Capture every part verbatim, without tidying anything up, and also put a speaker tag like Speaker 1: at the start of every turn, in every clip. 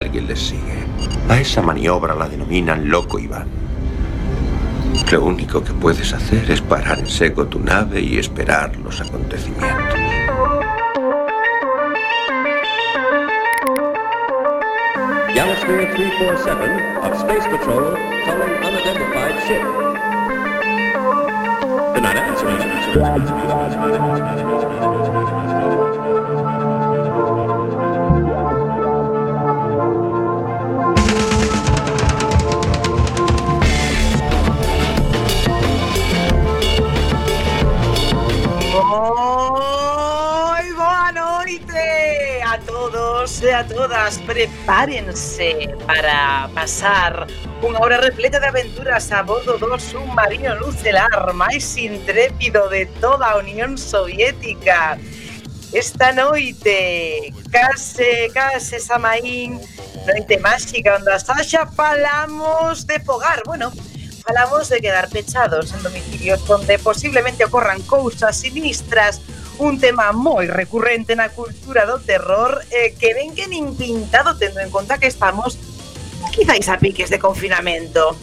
Speaker 1: Alguien les sigue. A esa maniobra la denominan Loco Iván. Lo único que puedes hacer es parar en seco tu nave y esperar los acontecimientos.
Speaker 2: Galaxy three forty-seven of Space Patrol calling unidentified ship. They're not answering.
Speaker 3: Moi boa noite a todos e a todas. Prepárense para pasar unha hora repleta de aventuras a bordo do submarino nucelar máis intrépido de toda a Unión Soviética. Esta noite, case, case Samaín, noite máxica onde a Sasha falamos de fogar, bueno, falamos de quedar pechados en domicilios onde posiblemente ocorran cousas sinistras, un tema moi recurrente na cultura do terror eh, que ven que nin pintado tendo en conta que estamos quizáis a piques de confinamento.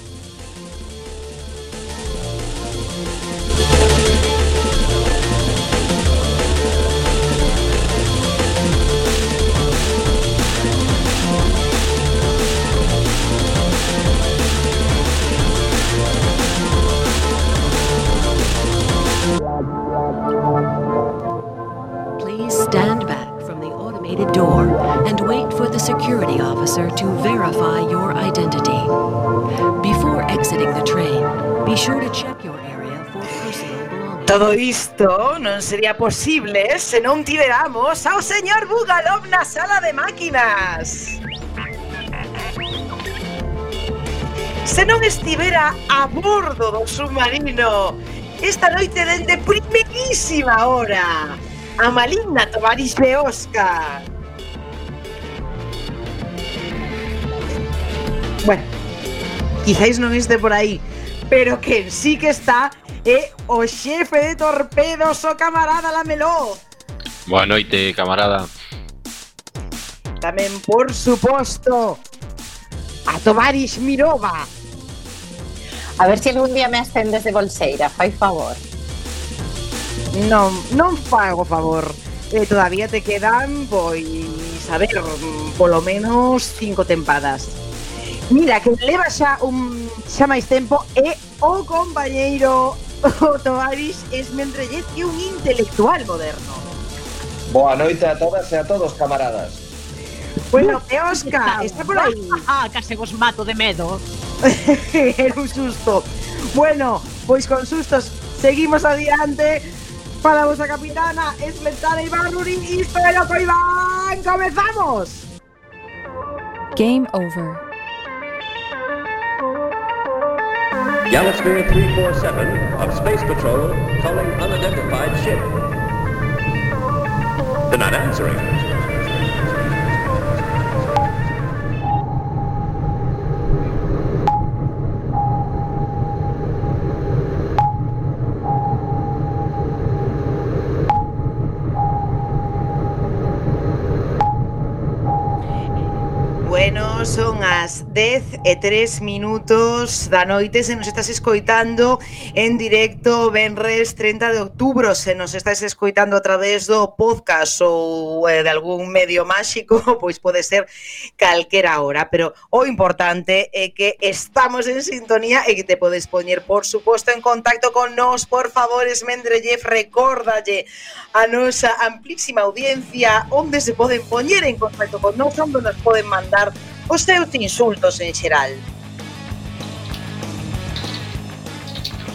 Speaker 4: Stand back from the automated door and wait for the security officer to verify your identity. Before exiting the train, be sure to check your area for personal belongings.
Speaker 3: Todo isto non sería posible se non tiveramos ao señor Bugalov na sala de máquinas. Se non estivera a bordo do submarino esta noite dende primeirísima hora, a maligna Tovaris Leoska. Bueno, quizáis non este por aí, pero quen sí que está é o xefe de torpedos, o camarada Lameló.
Speaker 5: Boa noite, camarada.
Speaker 3: Tamén, por suposto, a Tovaris Mirova.
Speaker 6: A ver se si algún día me ascendes de bolseira, fai favor.
Speaker 3: Non, non fago favor. Eh, todavía te quedan, pois, a ver, polo menos cinco tempadas. Mira, que leva xa un xa máis tempo é o compañeiro o Tovaris Esmendrellez, que é un intelectual moderno.
Speaker 7: Boa noite a todas e a todos, camaradas.
Speaker 3: Bueno, Teosca, está por aí.
Speaker 8: Ah, case vos mato de medo.
Speaker 3: Era un susto. Bueno, pois con sustos seguimos adiante. Para a vosa capitana, Esmeralda Ibarruri, isto é Loco Iván. ¡Comenzamos!
Speaker 4: Game over.
Speaker 2: Galaxy three forty-seven of Space Patrol calling unidentified ship. They're not answering.
Speaker 3: Bueno, son as dez e tres minutos da noite. Se nos estás escoitando en directo venres trinta de outubro, se nos estás escoitando a través do podcast ou eh, de algún medio máxico, pois pode ser calquera hora, pero o importante é que estamos en sintonía e que te podes poñer, por suposto, en contacto con nós. Por favor, Esmendrellez, recórdalle a nosa amplísima audiencia onde se poden poñer en contacto con nós, onde nos poden mandar os seus insultos en xeral.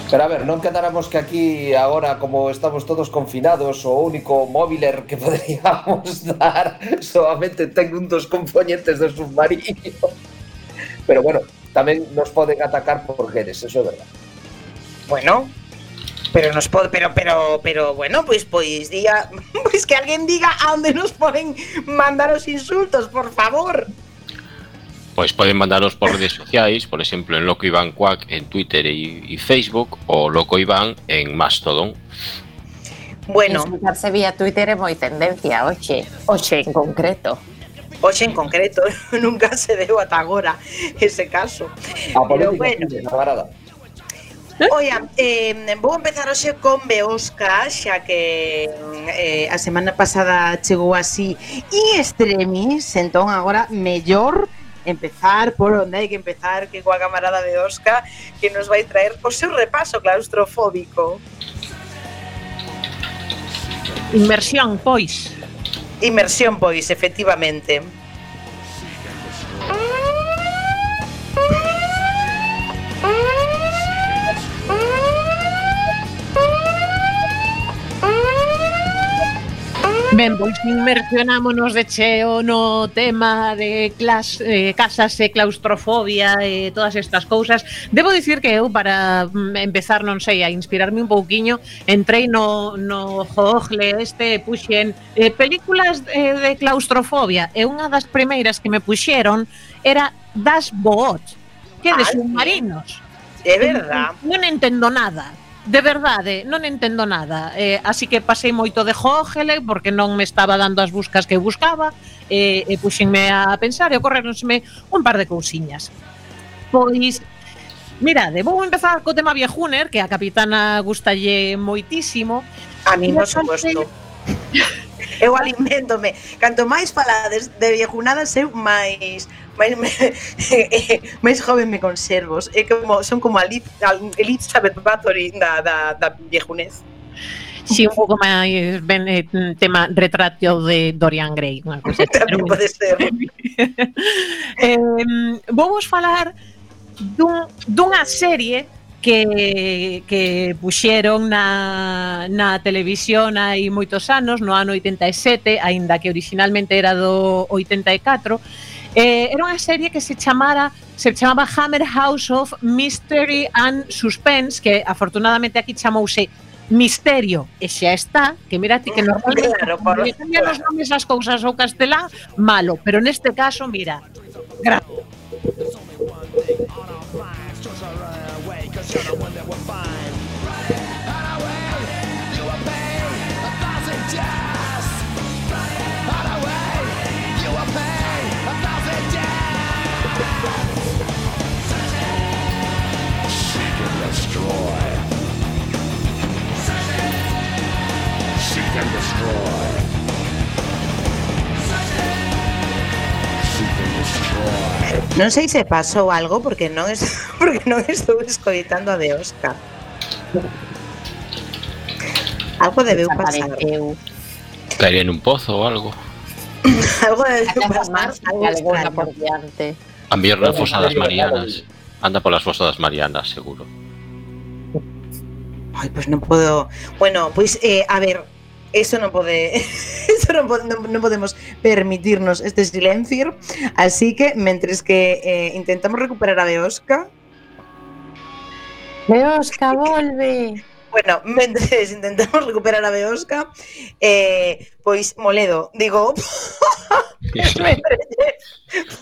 Speaker 7: Pero a ver, non quedáramos que aquí agora, como estamos todos confinados, o único móviler que poderíamos dar solamente ten un dos componentes do submarino. Pero bueno, tamén nos poden atacar por redes, eso é verdad.
Speaker 3: Bueno, pero nos pode, pero pero pero bueno, pois pois diga, pois que alguén diga a onde nos poden mandar os insultos, por favor.
Speaker 5: Pois poden mandaros por redes sociais, por exemplo, en Loco Iván Quack en Twitter e, e Facebook, ou Loco Iván en Mastodon.
Speaker 6: Bueno, insultarse vía Twitter é moi tendencia, oxe, oxe en concreto.
Speaker 3: Hoxe en concreto nunca se deu ata agora ese caso.
Speaker 7: A
Speaker 3: Pero
Speaker 7: política,
Speaker 3: bueno,
Speaker 7: sí, camarada.
Speaker 3: Oia, eh, vou empezar hoxe con Beosca, xa que eh, a semana pasada chegou así in extremis, entón agora mellor empezar por onde hai que empezar, que coa camarada Beosca, que nos vai traer o seu repaso claustrofóbico.
Speaker 8: Inmersión, pois.
Speaker 3: Inmersión, pois, efectivamente.
Speaker 8: Ben, pois inmersionámonos de cheo no tema de clas, eh, casas e claustrofobia e todas estas cousas. Debo dicir que eu, para empezar, non sei, a inspirarme un pouquiño, entrei no, no Google este, puxen eh, películas eh, de claustrofobia, e unha das primeiras que me puxeron era Das Boot, que de
Speaker 3: Ah,
Speaker 8: submarinos.
Speaker 3: É verdad.
Speaker 8: Non entendo nada. De verdade, non entendo nada, eh, así que pasei moito de Google porque non me estaba dando as buscas que buscaba, eh, e puxenme a pensar e ocorreronsme un par de cousiñas. Pois, mirade, vou empezar co tema Viejuner, que a capitana gustalle moitísimo.
Speaker 3: A mí, por suposto. Eu aliméntome. Canto máis falades de viejunadas, eu máis máis, máis joven me conservos. É como, son como a Elizabeth Bathory da, da, da viejunez.
Speaker 8: Si, sí, un pouco máis ben eh, tema retrato de Dorian Gray, unha cousa.
Speaker 3: Tamén pode ser.
Speaker 8: eh, vou vos falar dun, dunha serie que, que puxeron na, na televisión hai moitos anos, no ano oitenta e sete, aínda que originalmente era do oitenta e catro. Eh, era unha serie que se chamara se chamaba Hammer House of Mystery and Suspense, que afortunadamente aquí chamouse Misterio, e xa está, que mira ti que normalmente
Speaker 3: claro, por...
Speaker 8: cambian os nomes as cousas ao castelán, malo, pero neste caso, mira, gracias.
Speaker 3: Non sei se pasou algo porque non es, porque non estou escoitando a de Oscar. Algo debeu pasar.
Speaker 5: Caería en un pozo ou algo.
Speaker 3: Algo debeu pasar.
Speaker 6: Alguna por diante.
Speaker 5: A mellor na fosa das Marianas. Anda polas fosas das Marianas, seguro.
Speaker 3: Ai, pois pues non podo. Bueno, pois pues, eh, a ver, eso non pode, eso non, pode, non, non podemos permitirnos este silencio, así que mentres que eh, intentamos recuperar a Beosca.
Speaker 6: Beosca, volve.
Speaker 3: Bueno, mentres intentamos recuperar a Beosca, eh, pois Moledo, digo,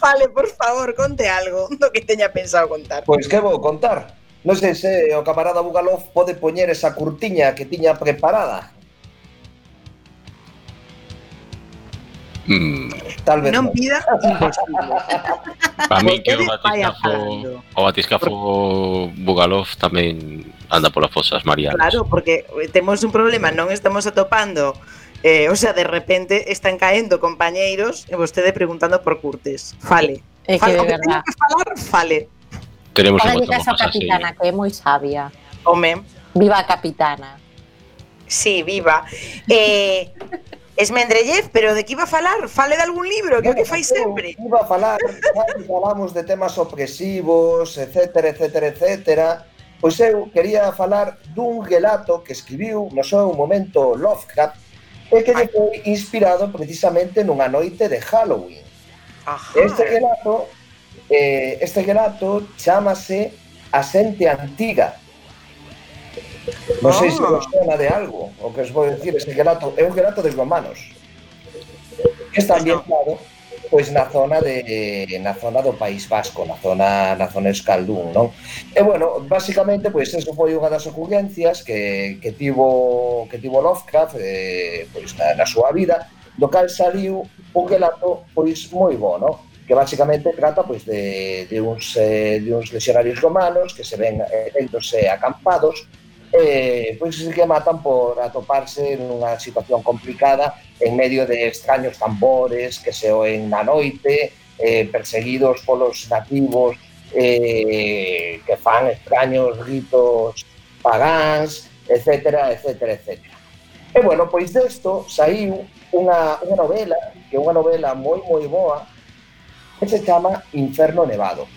Speaker 3: fale, por favor, conte algo do que teña pensado contar.
Speaker 7: Pois que vou contar? Non sei se o camarada Bugalov pode poñer esa curtiña que tiña preparada.
Speaker 5: Mm.
Speaker 7: Tal vez
Speaker 3: non pida imposible.
Speaker 5: Para mí que o batiscafo, o batiscafo Bugalov tamén anda polas fosas Marianas.
Speaker 3: Claro, porque temos un problema, non estamos atopando, eh, o sea, de repente están caendo compañeiros e vostede preguntando por Curtes. Fale.
Speaker 6: É que
Speaker 3: fale,
Speaker 6: de verdad.
Speaker 3: Que falar, fale.
Speaker 5: Tenemos
Speaker 6: Para
Speaker 5: un
Speaker 6: que esa capitana, que é moi sabia.
Speaker 3: Home.
Speaker 6: Viva a capitana.
Speaker 3: Sí, viva. Eh... Esmendrellev, pero de que iba a falar? Fale de algún libro, que é o que fai sempre.
Speaker 7: Iba a falar, falamos de temas opresivos, etcétera, etcétera, etcétera. Pois eu quería falar dun relato que escribiu no seu momento Lovecraft e que lle foi inspirado precisamente nunha noite de Halloween.
Speaker 3: Ajá.
Speaker 7: Este relato, eh, este relato chámase A Xente Antiga. Non sei se vos sona de algo o que os vou dicir. Ese relato é un relato de romanos que está ambientado pois na zona de na zona do País Vasco, na zona na zona Euskaldún, non? E bueno, basicamente pois eso foi unha das ocurrencias que que tivo que tivo Lovecraft eh, pois na, na súa vida, do cal saliu un relato pois moi bo, no? Que basicamente trata pois de, de, uns, eh, de uns legionarios romanos que se ven eleitos e acampados e pois que matan por atoparse nunha situación complicada en medio de extraños tambores que se oen na noite, eh, perseguidos polos nativos eh, que fan extraños ritos pagáns, etcétera, etcétera, etcétera. E bueno, pois desto saiu unha, unha novela, que é unha novela moi moi boa, que se chama Inferno Nevado,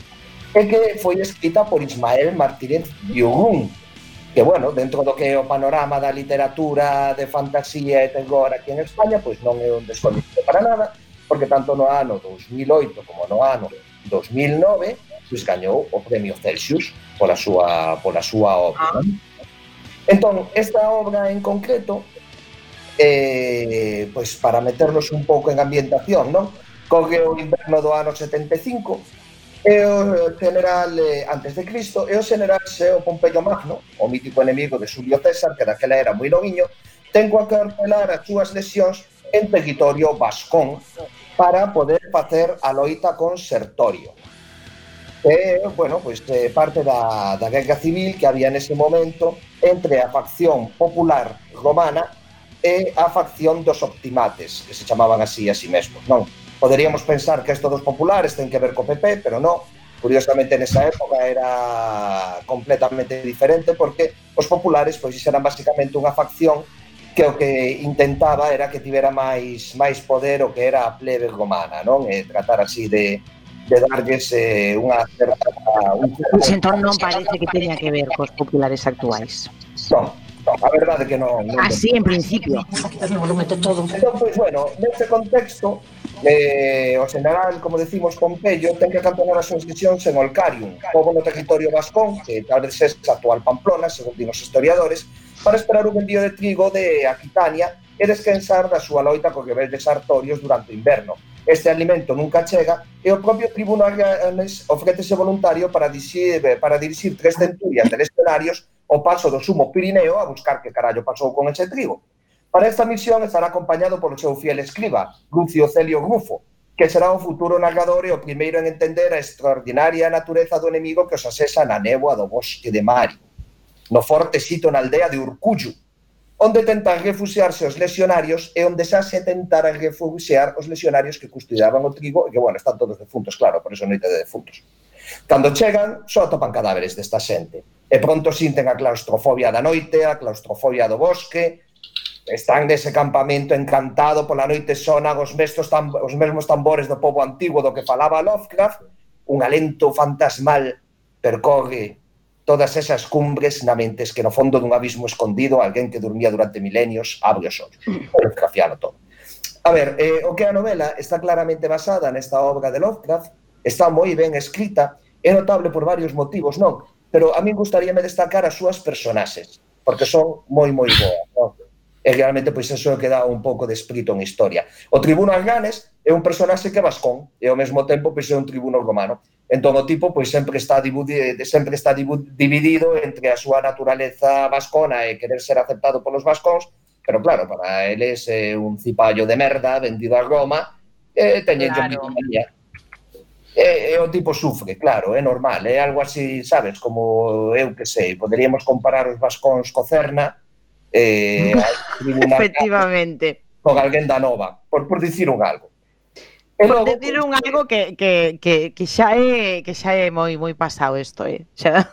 Speaker 7: e que foi escrita por Ismael Martínez Biogún, que, bueno, dentro do que é o panorama da literatura de fantasía e terror aquí en España, pois non é un desconocido para nada, porque tanto no ano dos mil oito como no ano dos mil nove, pois gañou o Premio Celsius pola súa, pola súa obra. Entón, esta obra en concreto, eh, pois para meternos un pouco en ambientación, non? Corre o inverno do ano setenta e cinco e o general eh, antes de Cristo e o general Seo Pompeyo Magno, o mítico enemigo de Xulio César, que daquela era moi noviño, ten coa que ordenar as súas lesións en territorio vascón para poder facer a loita con Sertorio. E, bueno, pois eh, parte da, da guerra civil que había nese momento entre a facción popular romana e a facción dos optimates, que se chamaban así a sí mesmos, non? Poderíamos pensar que isto dos populares ten que ver co P P, pero non. Curiosamente, nesa época era completamente diferente, porque os populares pois eran basicamente unha facción que o que intentaba era que tivera máis máis poder o que era a plebe romana, non? E tratar así de, de darlles eh, unha certa... Un certo...
Speaker 9: Pois entón non parece que teña que ver cos populares actuais.
Speaker 7: Non, non, a verdade que non. non
Speaker 9: Así, en principio.
Speaker 7: Entón, pois, bueno, neste contexto, eh, o general, como decimos, Pompeyo, ten que acantonar as súas misións en Olcarium, pobo no territorio vascón, que tal vez é a actual Pamplona, según din os historiadores, para esperar un envío de trigo de Aquitania e descansar da súa loita cos rebeldes sartorios durante o inverno. Este alimento nunca chega e o propio tribuno Arganes ofrécese voluntario para dirixir, para dirixir tres centurias de legionarios ao paso do Sumo Pirineo a buscar que carallo pasou con ese trigo. Para esta misión estará acompañado polo seu fiel escriba, Lucio Celio Grufo, que será o futuro narrador e o primeiro en entender a extraordinaria natureza do enemigo que os asesa na néboa do bosque de Mario, no forte sito na aldea de Urcullu, onde tentan refuxiarse os legionarios e onde xa se tentaran refuxiar os legionarios que custodiaban o trigo e que, bueno, están todos defuntos, claro, por eso noite de defuntos. Cando chegan, só atopan cadáveres desta xente, e pronto sinten a claustrofobia da noite, a claustrofobia do bosque. Están nese campamento encantado, pola noite sonan os, tam, os mesmos tambores do pobo antigo do que falaba Lovecraft. Un alento fantasmal percorre todas esas cumbres na mentes que no fondo dun abismo escondido alguén que dormía durante milenios abre os ollos. Lovecraftiano todo. A ver, eh, o que a novela está claramente basada nesta obra de Lovecraft, está moi ben escrita, é notable por varios motivos, non? Pero a min gustaríame destacar as súas personaxes, porque son moi moi boas, non? E realmente pois eso é que dá un pouco de espírito en historia. O tribuno Arganes é un personaxe que é vascón e ao mesmo tempo pois é un tribuno romano. Entón o tipo pois sempre está sempre está dividido entre a súa naturaleza vascona e querer ser aceptado polos vascóns, pero claro, para eles é un cipallo de merda vendido a Roma e teñen claro. Que e, e o tipo sufre, claro, é normal, é algo así, sabes, como eu que sei, poderíamos comparar os vascóns co Cerna. Eh,
Speaker 9: efectivamente
Speaker 7: con alguén da Nova, por, por dicir un algo.
Speaker 9: E por logo, dicir un algo que, que, que, que xa é que xa é moi moi pasado isto, eh. Xa,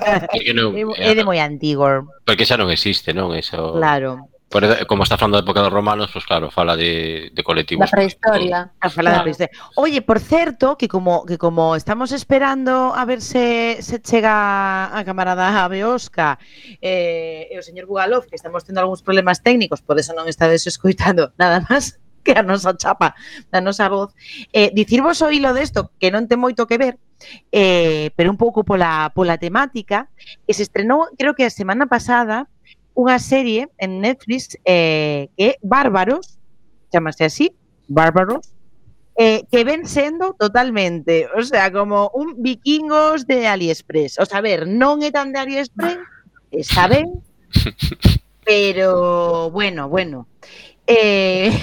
Speaker 9: xa é, no, é, é de moi antigo.
Speaker 5: Porque xa non existe, non? Eso.
Speaker 9: Claro.
Speaker 5: Por, como está falando da época dos romanos, pues claro, fala de, de colectivos.
Speaker 6: Da prehistoria.
Speaker 9: A fala claro. da prehistoria. Oye, por certo, que como que como estamos esperando a ver se, se chega a camarada Beosca eh, e o señor Bugalov, que estamos tendo algúns problemas técnicos, por eso non estades escoitando nada máis que a nosa chapa, da nosa voz. Eh, dicirvos o hilo desto, que non ten moito que ver, eh, pero un pouco pola, pola temática, que se estrenou, creo que a semana pasada, unha serie en Netflix eh, que é Bárbaros, chamase así, Bárbaros, eh, que ven sendo totalmente, o sea, como un vikingos de AliExpress. O sea, a ver, non é tan de AliExpress, está ben, pero bueno, bueno. E,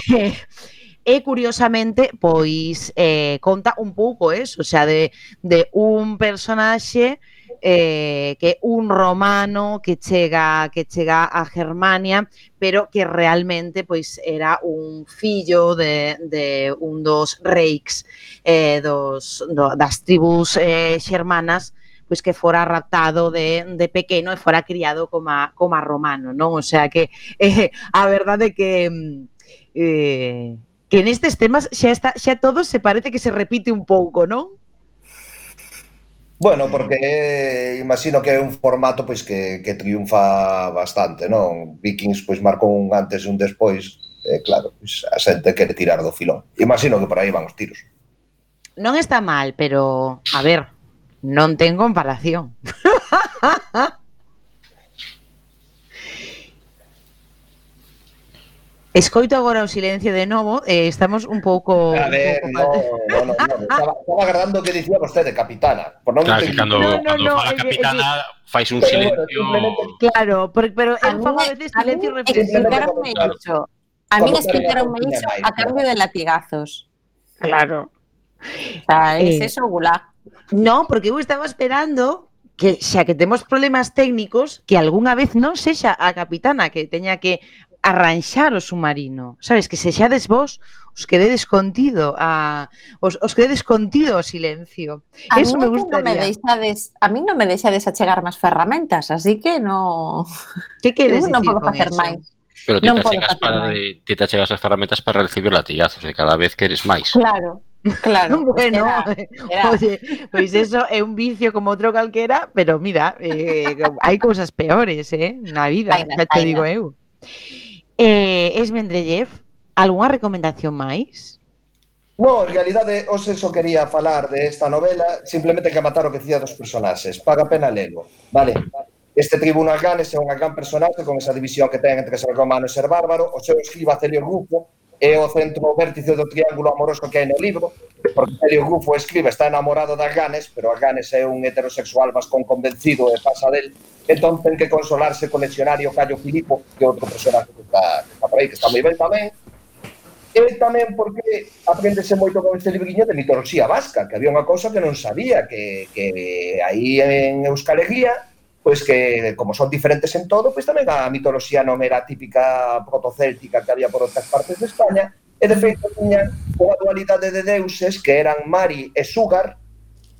Speaker 9: e curiosamente, pois, eh, conta un pouco eso, o sea, de, de un personaxe eh, que un romano que chega que chega a Germania, pero que realmente pois era un fillo de, de un dos reiks eh, dos, do, das tribus eh, xermanas, pois que fora raptado de, de pequeno e fora criado como a, como a romano, non? O sea que eh, a verdade que eh, que nestes temas xa está, xa todo se parece que se repite un pouco, non?
Speaker 7: Bueno, porque eh, imagino que é un formato pois que, que triunfa bastante, non? Vikings pois marcou un antes e un despois, e eh, claro, pois a xente quere tirar do filón. Imagino que por aí van os tiros.
Speaker 9: Non está mal, pero a ver, non ten comparación. Escoito agora o silencio de novo, eh, estamos un pouco...
Speaker 7: A ver,
Speaker 9: un
Speaker 7: no,
Speaker 9: pouco...
Speaker 7: no, no, no, estaba, estaba agardando que dicía vostede, capitana. Por non
Speaker 5: Claro, que cando,
Speaker 9: No, no,
Speaker 5: cando
Speaker 9: no,
Speaker 5: fala
Speaker 9: é que-
Speaker 5: capitana fais un
Speaker 7: Pero
Speaker 5: silencio.
Speaker 7: bueno, simplemente-
Speaker 9: Claro, pero, pero
Speaker 6: A
Speaker 9: eu
Speaker 6: mí,
Speaker 9: fago a
Speaker 6: me-
Speaker 9: veces
Speaker 6: a mí
Speaker 9: silencio reflexivo.
Speaker 6: explicaronme
Speaker 7: Claro.
Speaker 6: iso. A mí
Speaker 7: Como
Speaker 6: explicaronme
Speaker 7: claro,
Speaker 6: iso
Speaker 7: tiña máis,
Speaker 6: a cambio de latigazos.
Speaker 9: Claro.
Speaker 6: O sea, es
Speaker 9: Eh,
Speaker 6: eso, gulag.
Speaker 9: No, porque eu estaba esperando que xa que temos problemas técnicos, que algunha vez non sexa a capitana que teña que arranxar o submarino, sabes, que sexades vos os que dedes contido a os, os que dedes contido ao silencio.
Speaker 6: A
Speaker 9: Eso
Speaker 6: mí
Speaker 9: me
Speaker 6: é que non me
Speaker 9: gustaría.
Speaker 6: deixades, a mí non me deixades achegar máis ferramentas, así que no
Speaker 9: Que queres
Speaker 6: eu non
Speaker 9: dicir
Speaker 6: podo
Speaker 9: con
Speaker 6: facer
Speaker 9: eso?
Speaker 6: máis.
Speaker 5: Pero ti
Speaker 6: Non
Speaker 5: te
Speaker 6: podo
Speaker 5: achegas
Speaker 6: facer
Speaker 5: para
Speaker 6: máis.
Speaker 5: de, ti te achegas as ferramentas para recibir latigazos e cada vez queres máis.
Speaker 6: Claro, claro.
Speaker 9: Bueno,
Speaker 6: Era- era-
Speaker 9: oye, pois eso é un vicio como outro calquera, pero mira, eh, hai cousas peores, eh, na vida,
Speaker 6: Vainas,
Speaker 9: xa te digo
Speaker 6: vainas.
Speaker 9: eu. Eh, Esmendrellev, algunha recomendación máis?
Speaker 7: No, en realidade, os eso quería falar de esta novela, simplemente que matar o que dicía dos personaxes. Paga pena lelo, vale? Este tribuno Arganes é un gran personaxe con esa división que ten entre ser romano e ser bárbaro. O seu escriba Celio Rufo é o centro vértice do triángulo amoroso que hai no libro, porque Celio Rufo escribe está enamorado de Arganes, pero Arganes é un heterosexual vascón convencido e pasa del, entón ten que consolarse con leccionario Cayo Filipo, que é outro personaje que está, que está por aí, que está moi ben tamén. E tamén porque aprendese moito con este libriño de mitoloxía vasca, que había unha cousa que non sabía, que, que aí en Euskal Herria, pois que, como son diferentes en todo, pois tamén a mitoloxía non era típica protocéltica que había por outras partes de España, e de feito tiñan unha dualidade de deuses que eran Mari e Súgar.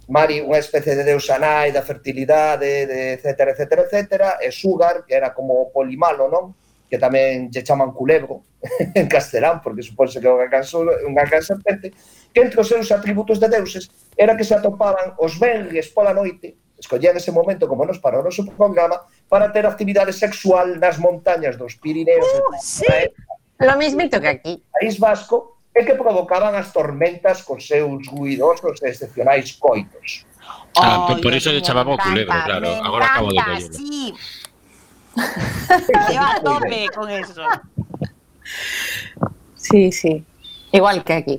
Speaker 7: Mari, unha especie de deusa nai da fertilidade, de etcétera, etcétera, etcétera, e Súgar, que era como polimalo, non? Que tamén lle chaman culebro en castelán, porque supónse que é unha gran serpente, que entre os seus atributos de deuses era que se atopaban os venres pola noite, escollían ese momento como nos para o noso programa, para ter actividade sexual nas montañas dos Pirineos,
Speaker 9: Uh, sí.
Speaker 6: Lo mismito que aquí.
Speaker 7: País Vasco, e que provocaban as tormentas cos seus ruidosos e excepcionais coitos.
Speaker 5: Ah, por,
Speaker 6: Ay,
Speaker 5: por eso
Speaker 6: me
Speaker 5: lle chamaba o
Speaker 6: encanta,
Speaker 5: culebro, claro.
Speaker 6: me
Speaker 5: Agora acabo de
Speaker 6: encanta,
Speaker 5: verlo.
Speaker 6: sí.
Speaker 9: Lleva a tope con eso.
Speaker 6: Sí, sí. Igual que aquí.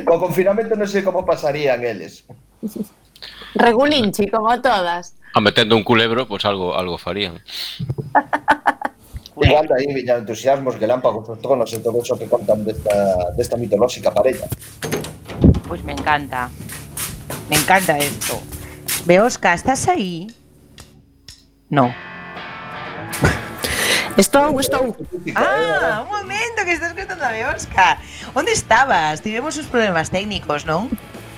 Speaker 7: Co confinamento non sei como pasarían eles.
Speaker 6: Regulinchi, como todas.
Speaker 5: A metendo un culebro, pois pues algo algo farían.
Speaker 7: Igual de aí viñan entusiasmos, relámpagos, os tronos e todo eso que contan desta, desta mitolóxica parella.
Speaker 9: Pues me encanta. Me encanta esto. Beosca, ¿estás ahí? No.
Speaker 6: Estou, estou.
Speaker 9: Ah, un momento, que estás contando a Beosca. ¿Dónde estabas? Tivemos uns problemas técnicos, non?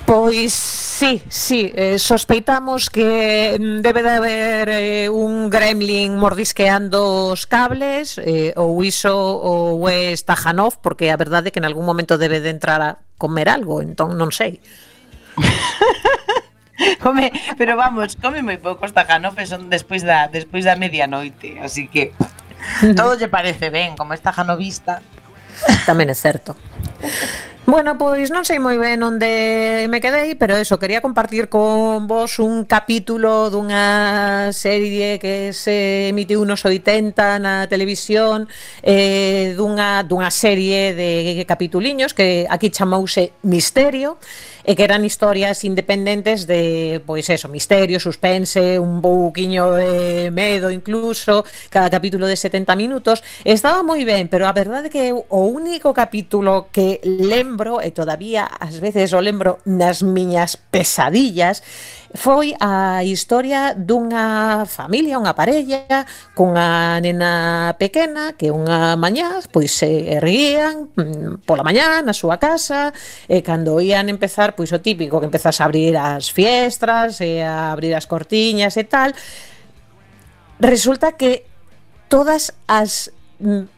Speaker 8: Pois sí, sí, eh, sospeitamos que mm, debe de haber eh, un gremlin mordisqueando os cables, eh, ou iso ou é Stajanov, porque a verdade é que en algún momento debe de entrar a comer algo, entón non sei.
Speaker 9: Come, pero vamos, come moi pouco Stajanov e son despois da, despois da medianoite, así que todo lle parece ben, como Stajanovista.
Speaker 8: Tamén é certo. Bueno, pois non sei moi ben onde me quedei, pero eso, quería compartir con vos un capítulo dunha serie que se emitiu nos oitenta na televisión, eh, dunha, dunha serie de capituliños que aquí chamouse Misterio, e que eran historias independentes de, pois eso, misterio, suspense, un pouquiño de medo incluso, cada capítulo de setenta minutos. Estaba moi ben, pero a verdade é que o único capítulo que lembro, e todavía ás veces o lembro nas miñas pesadillas, foi a historia dunha familia, unha parella cunha nena pequena que unha mañá pois se erguían pola mañá na súa casa e cando ían empezar, pois o típico que empezas a abrir as fiestras e a abrir as cortiñas e tal, resulta que todas as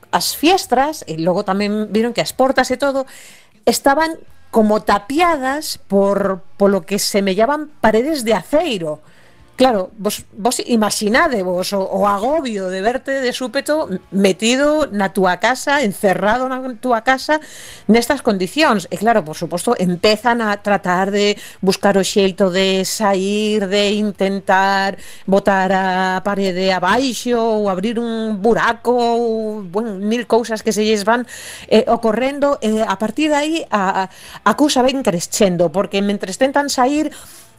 Speaker 8: as fiestras e logo tamén viron que as portas e todo estaban como tapiadas por polo que semellaban paredes de aceiro. Claro, vos, vos imaginadevos o, o agobio de verte de súpeto metido na túa casa, encerrado na túa casa nestas condicións. E claro, por suposto, empezan a tratar de buscar o xeito de sair, de intentar botar a parede abaixo ou abrir un buraco ou, bueno, mil cousas que se lles van eh, ocorrendo. E a partir de aí a, a cousa ven crescendo, porque mentres tentan sair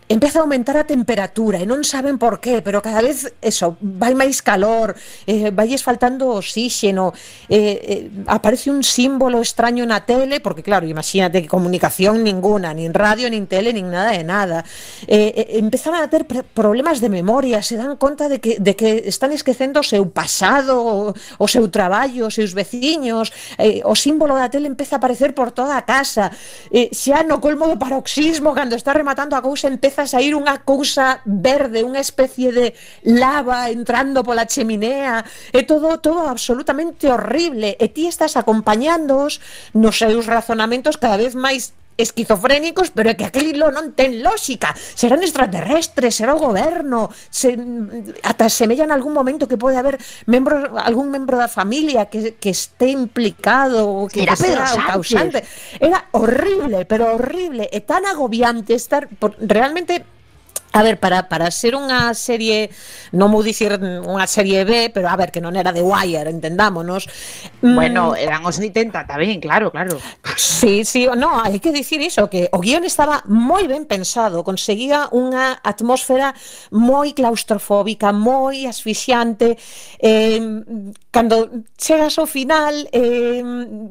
Speaker 8: empeza a aumentar a temperatura e non saben por qué, pero cada vez eso, vai máis calor, eh, vailles faltando oxígeno, eh, eh, aparece un símbolo extraño na tele, porque claro, imagínate que comunicación ninguna, nin radio, nin tele, nin nada de nada. Eh, eh, empezan a ter problemas de memoria, se dan conta de que, de que están esquecendo o seu pasado, o, o seu traballo, os seus veciños, eh, o símbolo da tele empeza a aparecer por toda a casa, eh, xa no colmo do paroxismo, cando está rematando a cousa, empeza a sair unha cousa verde, unha especie de lava entrando pola cheminea, e todo todo absolutamente horrible, e ti estás acompañándoos nos seus razonamentos cada vez máis esquizofrénicos, pero é que aquilo non ten lógica. Serán extraterrestres, será o goberno, se, ata semella en algún momento que pode haber membros, algún membro da familia que, que este implicado, que, que sea o causante. Era horrible, pero horrible, e tan agobiante estar por, realmente. A ver, para, para ser unha serie, non vou dicir unha serie B, pero a ver, que non era The Wire, entendámonos.
Speaker 9: Bueno, eran os oitenta tamén, claro, claro.
Speaker 8: Sí, sí, no, hai que dicir iso, que o guión estaba moi ben pensado, conseguía unha atmósfera moi claustrofóbica, moi asfixiante. Eh, cando chegas ao final, eh,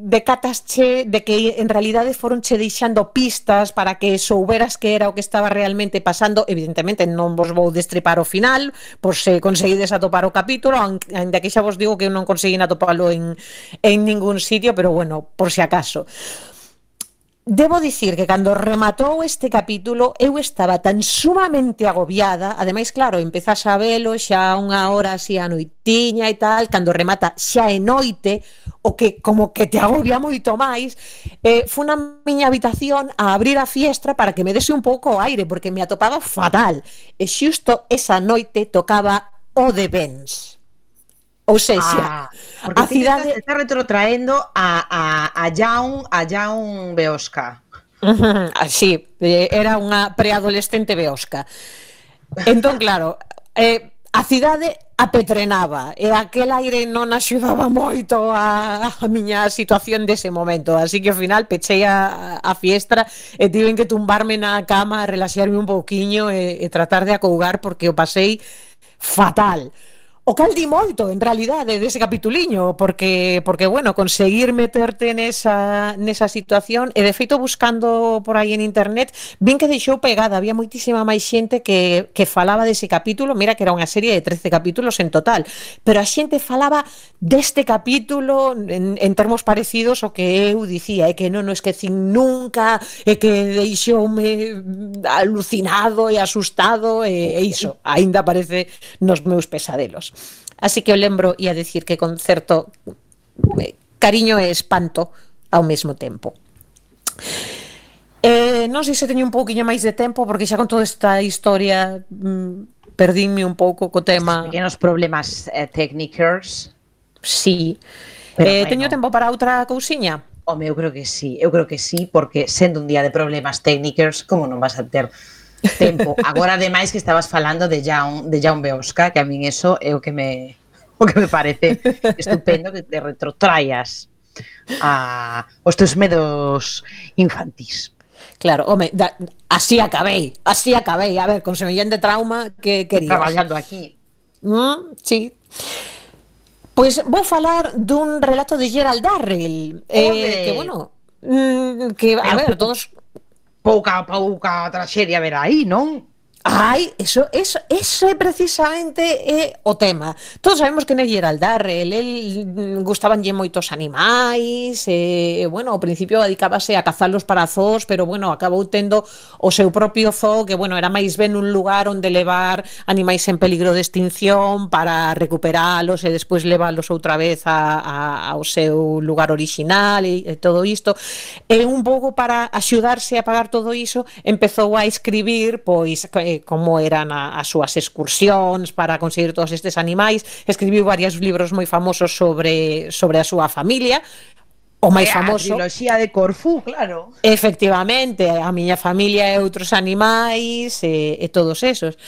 Speaker 8: decatasche de que en realidade foronche deixando pistas para que souberas que era o que estaba realmente pasando. Evidentemente non vos vou destripar o final por se conseguides atopar o capítulo, ainda que xa vos digo que non conseguín atopalo en, en ningún sitio, pero bueno, por si acaso. Debo dicir que cando rematou este capítulo eu estaba tan sumamente agobiada, ademais, claro, empezas a velo xa unha hora así a noitiña e tal, cando remata xa é noite, o que como que te agobia moito máis. eh, fui na miña habitación a abrir a fiestra para que me dese un pouco o aire, porque me atopaba fatal, e xusto esa noite tocaba o de Benz. Ou seja,
Speaker 9: ah, porque
Speaker 8: a cidade
Speaker 9: está retrotraendo a, a, a Jaun a Jaun Beosca.
Speaker 8: Uh-huh, sí, era unha preadolescente beosca. Entón, claro, eh, a cidade apetrenaba e aquel aire non axudaba moito a, a miña situación dese momento, así que ao final pechei a, a fiestra e tiven que tumbarme na cama, relaxarme un pouquiño e, e tratar de acougar, porque o pasei fatal. O cal di moito, en realidade, dese capituliño, porque, porque bueno, conseguir meterte nesa, nesa situación, e de feito buscando por aí en internet, vin que deixou pegada, había moitísima máis xente que, que falaba dese capítulo, mira que era unha serie de trece capítulos en total, pero a xente falaba deste capítulo en, en termos parecidos ao que eu dicía, é que non o esquecín nunca, é que deixoume alucinado e asustado, e, e iso, aínda aparece nos meus pesadelos. Así que eu lembro e a decir que con certo eh, cariño e espanto ao mesmo tempo. Eh, non sei se teño un pouquiño máis de tempo, porque xa con toda esta historia mm, perdínme un pouco co tema.
Speaker 9: Pequenos problemas eh, técnicos.
Speaker 8: Sí. Eh, bueno. Teño tempo para outra cousiña?
Speaker 9: Home, eu creo que sí, eu creo que sí, porque sendo un día de problemas técnicos, como non vas a ter tempo? Agora, ademais, que estabas falando de Jaume, de Jaume Beosca, que a min eso é o que me, o que me parece estupendo, que te retrotraias a os teus medos infantís.
Speaker 8: Claro, home, da, así acabei, así acabei. A ver, con semellante trauma que querías.
Speaker 9: Traballando aquí.
Speaker 8: Mm, sí. Pois vou falar dun relato de Gerald Darrell, eh, que, bueno, mm, que, a ver, todos...
Speaker 9: Pouca, pouca traxedia ver aí, non?
Speaker 8: Ai, eso, eso, eso é precisamente é o tema. Todos sabemos que non é Gerald Darrell, el gustabanlle moitos animais, e, bueno, ao principio dedicábase a cazalos para zoos, pero, bueno, acabou tendo o seu propio zoo, que, bueno, era máis ben un lugar onde levar animais en peligro de extinción para recuperalos e despois leválos outra vez a, a, ao seu lugar orixinal e, e todo isto. E un pouco para axudarse a pagar todo iso, empezou a escribir, pois, como eran a, as súas excursións para conseguir todos estes animais. Escribiu varios libros moi famosos sobre, sobre a súa familia. O máis famoso...
Speaker 9: A triloxía de Corfú, claro.
Speaker 8: Efectivamente, a miña familia e outros animais e, e todos esos.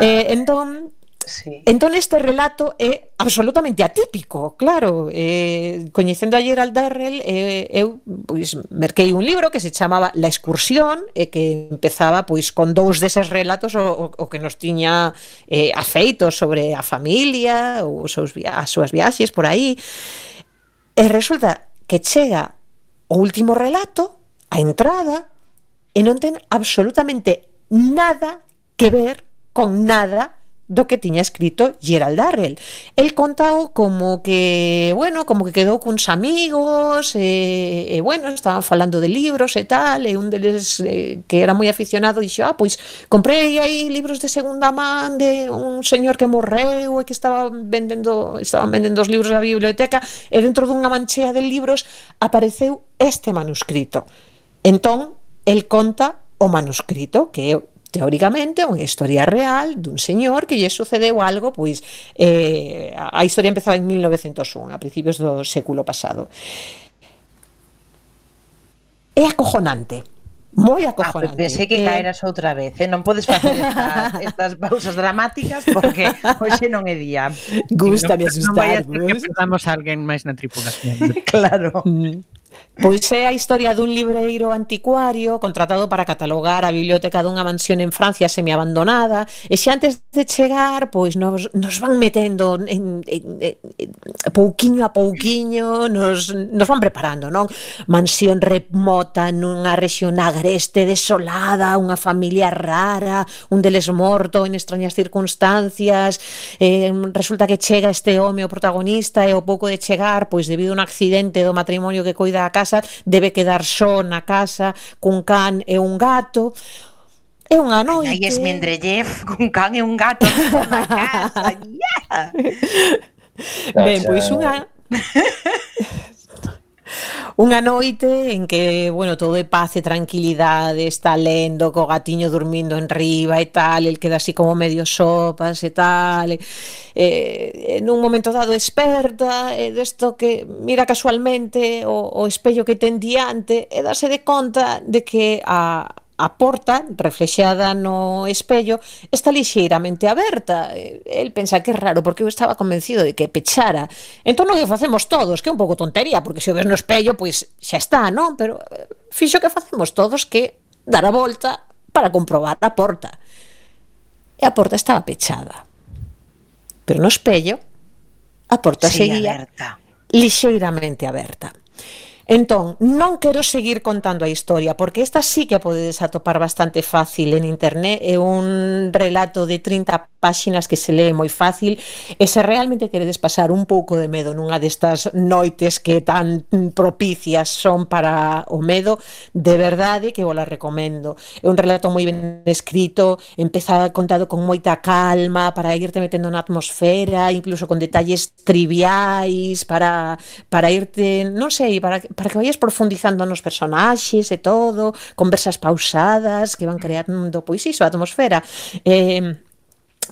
Speaker 8: Eh, entón... Sí. Entón este relato é absolutamente atípico, claro. Eh, coñecendo a Gerald Darrell, eh, eu pois merquei un libro que se chamaba La excursión e que empezaba pois con dous deses relatos o, o que nos tiña eh, afeitos sobre a familia ou os seus via- as súas viaxes por aí. E resulta que chega o último relato, a entrada, e non ten absolutamente nada que ver con nada do que tiña escrito Gerald Darrell. El contao como que, bueno, como que quedou cuns amigos, e, e bueno, estaban falando de libros e tal, e un deles eh, que era moi aficionado dixo, ah, pois comprei aí libros de segunda man de un señor que morreu e que estaba vendendo, estaban vendendo os libros da biblioteca, e dentro dunha manchea de libros apareceu este manuscrito. Entón, el conta o manuscrito, que é teóricamente unha historia real dun señor que lle sucedeu algo, pois eh, a historia empezaba en mil novecentos un, a principios do século pasado. É acojonante, moi acojonante.
Speaker 9: Ah, pensei que caeras outra vez, eh? Non podes facer estas, estas pausas dramáticas porque hoxe non é día.
Speaker 8: Gústame
Speaker 10: Non vai a
Speaker 8: asustar,
Speaker 10: ser que perdamos a alguén máis na tripulación.
Speaker 9: Claro.
Speaker 8: Pois é a historia dun libreiro anticuario contratado para catalogar a biblioteca dunha mansión en Francia semiabandonada, e xa antes de chegar, pois nos, nos van metendo en, en, en, en, pouquiño a pouquiño, nos, nos van preparando, non? Mansión remota nunha rexión agreste desolada, unha familia rara, un deles morto en extrañas circunstancias, eh, resulta que chega este home o protagonista e ao pouco de chegar, pois debido a un accidente do matrimonio que coida a casa, debe quedar só na casa cun can e un gato. É unha noite.
Speaker 9: Aí es Mendeleev cun can e un gato na casa. Yeah.
Speaker 8: Ben, pois unha Unha noite en que, bueno, todo é paz e tranquilidade, está lendo co gatiño dormindo en riba e tal, el queda así como medio sopas e tal, e, e nun momento dado desperta, e desto que mira casualmente o, o espello que ten diante e dase de conta de que a A porta, reflexada no espello, está lixeiramente aberta. El pensa que é raro, porque eu estaba convencido de que pechara. Entón non que facemos todos, que é un pouco tontería, porque se o ves no espello, pois xa está, non? Pero fixo que facemos todos que dar a volta para comprobar a porta. E a porta estaba pechada. Pero no espello, a porta
Speaker 9: sí,
Speaker 8: seguía
Speaker 9: aberta.
Speaker 8: Lixeiramente aberta. Entón, non quero seguir contando a historia, porque esta sí que podedes atopar bastante fácil en internet, é un relato de trinta páxinas que se lee moi fácil, e se realmente queredes pasar un pouco de medo nunha destas noites que tan propicias son para o medo, de verdade que vos la recomendo. É un relato moi ben escrito, empeza contado con moita calma, para irte metendo na atmosfera, incluso con detalles triviais, para, para irte, non sei, para para que vayas profundizando nos personaxes e todo, conversas pausadas que van creando, pois iso, a atmosfera. Eh,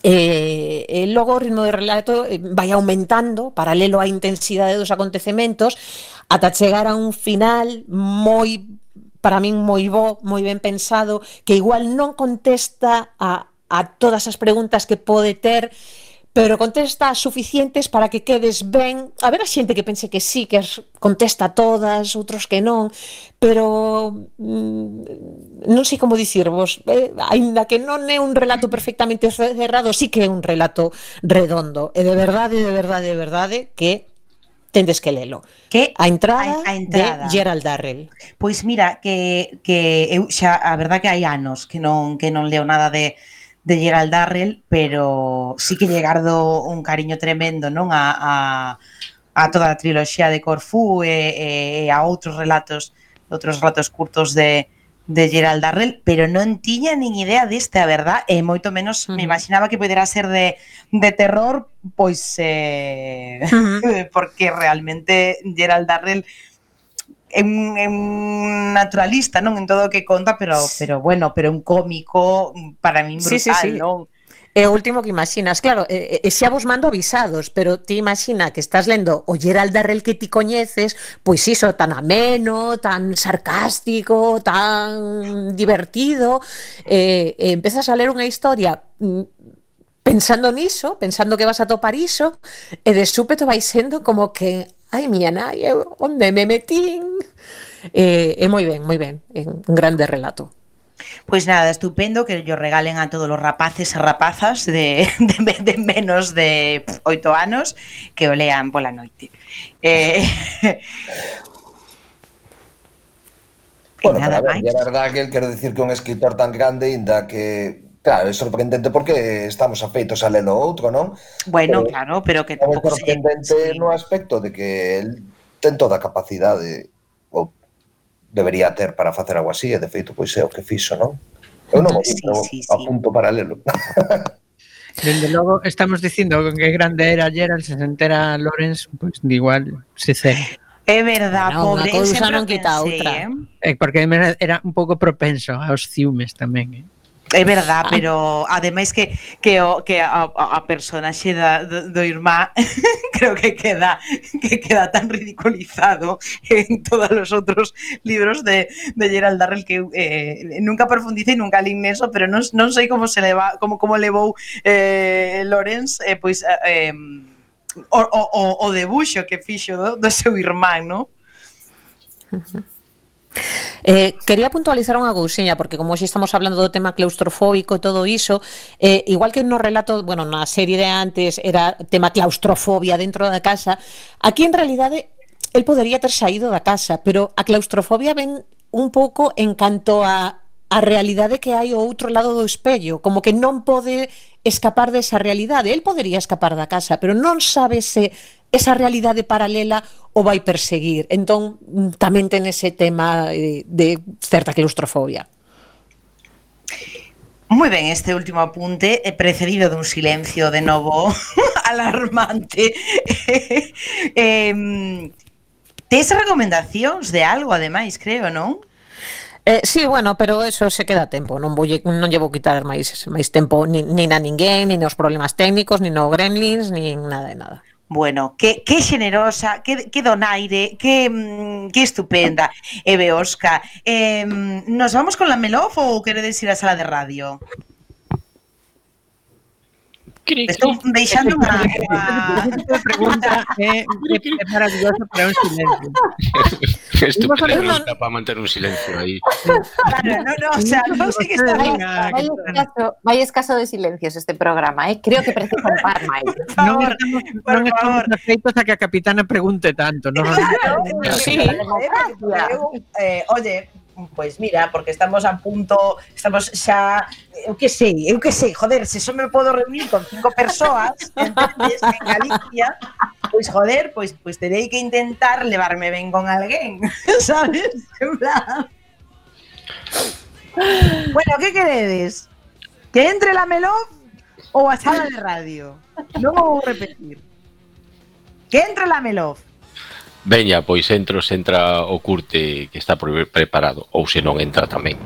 Speaker 8: e, e logo o ritmo de relato vai aumentando paralelo á intensidade dos acontecementos ata chegar a un final moi, para min moi bo, moi ben pensado, que igual non contesta a, a todas as preguntas que pode ter, pero contesta as suficientes para que quedes ben. A ver, a xente que pense que sí, que as contesta todas, outros que non, pero mm, non sei como dicirvos, eh, aínda que non é un relato perfectamente cerrado, sí que é un relato redondo, e de verdade, de verdade, de verdade que tendes que lelo.
Speaker 9: Que
Speaker 8: a entrada,
Speaker 9: a, a entrada
Speaker 8: de Gerald Darrell.
Speaker 9: Pois mira, que, que eu xa, a verdad que hai anos que non, que non leo nada de de Gerald Darrell, pero sí que lle gardo un cariño tremendo, non, a, a, a toda a triloxía de Corfú e, e a outros relatos, outros relatos curtos de, de Gerald Darrell, pero non tiña nin idea deste, a verdad, e moito menos uh -huh. me imaginaba que podera ser de, de terror, pois eh, uh -huh. porque realmente Gerald Darrell é un, é un naturalista, non, en todo o que conta, pero pero bueno, pero un cómico para min brutal, sí, sí, sí. non?
Speaker 8: É o último que imaginas, claro, e, e xa vos mando avisados, pero ti imagina que estás lendo o Gerald Darrell que ti coñeces, pois iso, tan ameno, tan sarcástico, tan divertido, e, e empezas a ler unha historia pensando niso, pensando que vas a topar iso, e de súpeto vai sendo como que ai, miña nai, onde me metín? Eh, é moi ben, moi ben, é un grande relato.
Speaker 9: Pois nada, estupendo, que yo regalen a todos os rapaces e rapazas de, de, de menos de oito anos que o lean pola noite. Eh,
Speaker 7: bueno, nada pero a ver, é verdad que quero dicir que un escritor tan grande, ainda que claro, é sorprendente porque estamos afeitos a lelo outro, non?
Speaker 9: Bueno, pero, claro, pero que
Speaker 7: tampouco é sorprendente se... no aspecto de que el ten toda a capacidade ou debería ter para facer algo así, e de feito pois é o que fixo, non? Eu non
Speaker 9: sí, sí, sí.
Speaker 7: apunto para lelo.
Speaker 10: Dende logo estamos dicindo que grande era Gerald, se entera Lawrence, pois pues, igual se cera.
Speaker 9: É verdad, no, pobre,
Speaker 8: eu sempre non quita outra.
Speaker 10: Eh? Porque era un pouco propenso aos ciúmes tamén, eh?
Speaker 9: É verdad, pero ademais que que o que a, a personaxe da, do, do irmá creo que queda que queda tan ridiculizado en todos os outros libros de, de Gerald Darrell que eh, nunca profundice e nunca lín neso, pero non, non sei como se leva, como como levou eh, Lawrence eh, pois eh, o, o, o debuxo que fixo do, do seu irmán, non?
Speaker 8: Eh, quería puntualizar unha cousiña porque como hoxe estamos hablando do tema claustrofóbico e todo iso, eh, igual que no relato, bueno, na serie de antes era tema claustrofobia dentro da casa, aquí en realidade el podería ter saído da casa, pero a claustrofobia ven un pouco en canto a a realidade que hai ao outro lado do espello, como que non pode escapar desa realidade. El podería escapar da casa, pero non sabe se esa realidade paralela o vai perseguir. Entón, tamén ten ese tema de, de certa claustrofobia.
Speaker 9: Moi ben, este último apunte é precedido dun silencio de novo alarmante. eh, tes recomendacións de algo, ademais, creo, non?
Speaker 8: Eh, sí, bueno, pero eso se queda a tempo, non vou non llevo quitar máis máis tempo nin, nin a ninguén, nin os problemas técnicos, nin o Gremlins, nin nada de nada.
Speaker 9: Bueno, que, que generosa, que, que donaire, que, que estupenda, Eve Oscar. Eh, ¿Nos vamos con la Melov ou queredes ir á sala de radio? Estou deixando unha...
Speaker 10: Esta pregunta é, é maravillosa para un silencio.
Speaker 5: Estupenda pregunta para manter un silencio aí.
Speaker 9: Claro, no, no, o sea, non sei que está
Speaker 6: bien. Vai escaso, vai escaso de silencios este programa, eh? Creo que precisa un par máis.
Speaker 10: Non estamos, non estamos afeitos a que a capitana pregunte tanto, non?
Speaker 9: Claro, sí. Eh, oye, pois mira, porque estamos a punto, estamos xa, eu que sei, eu que sei, joder, se só me podo reunir con cinco persoas, entendes, en Galicia, pois joder, pois pois terei que intentar levarme ben con alguén, sabes? En plan. Bueno, que queredes? Que entre la Melov ou a sala de radio? Non vou repetir. Que entre la Melov.
Speaker 5: Veña, pois entro, se entra o curte que está preparado, ou se non entra tamén.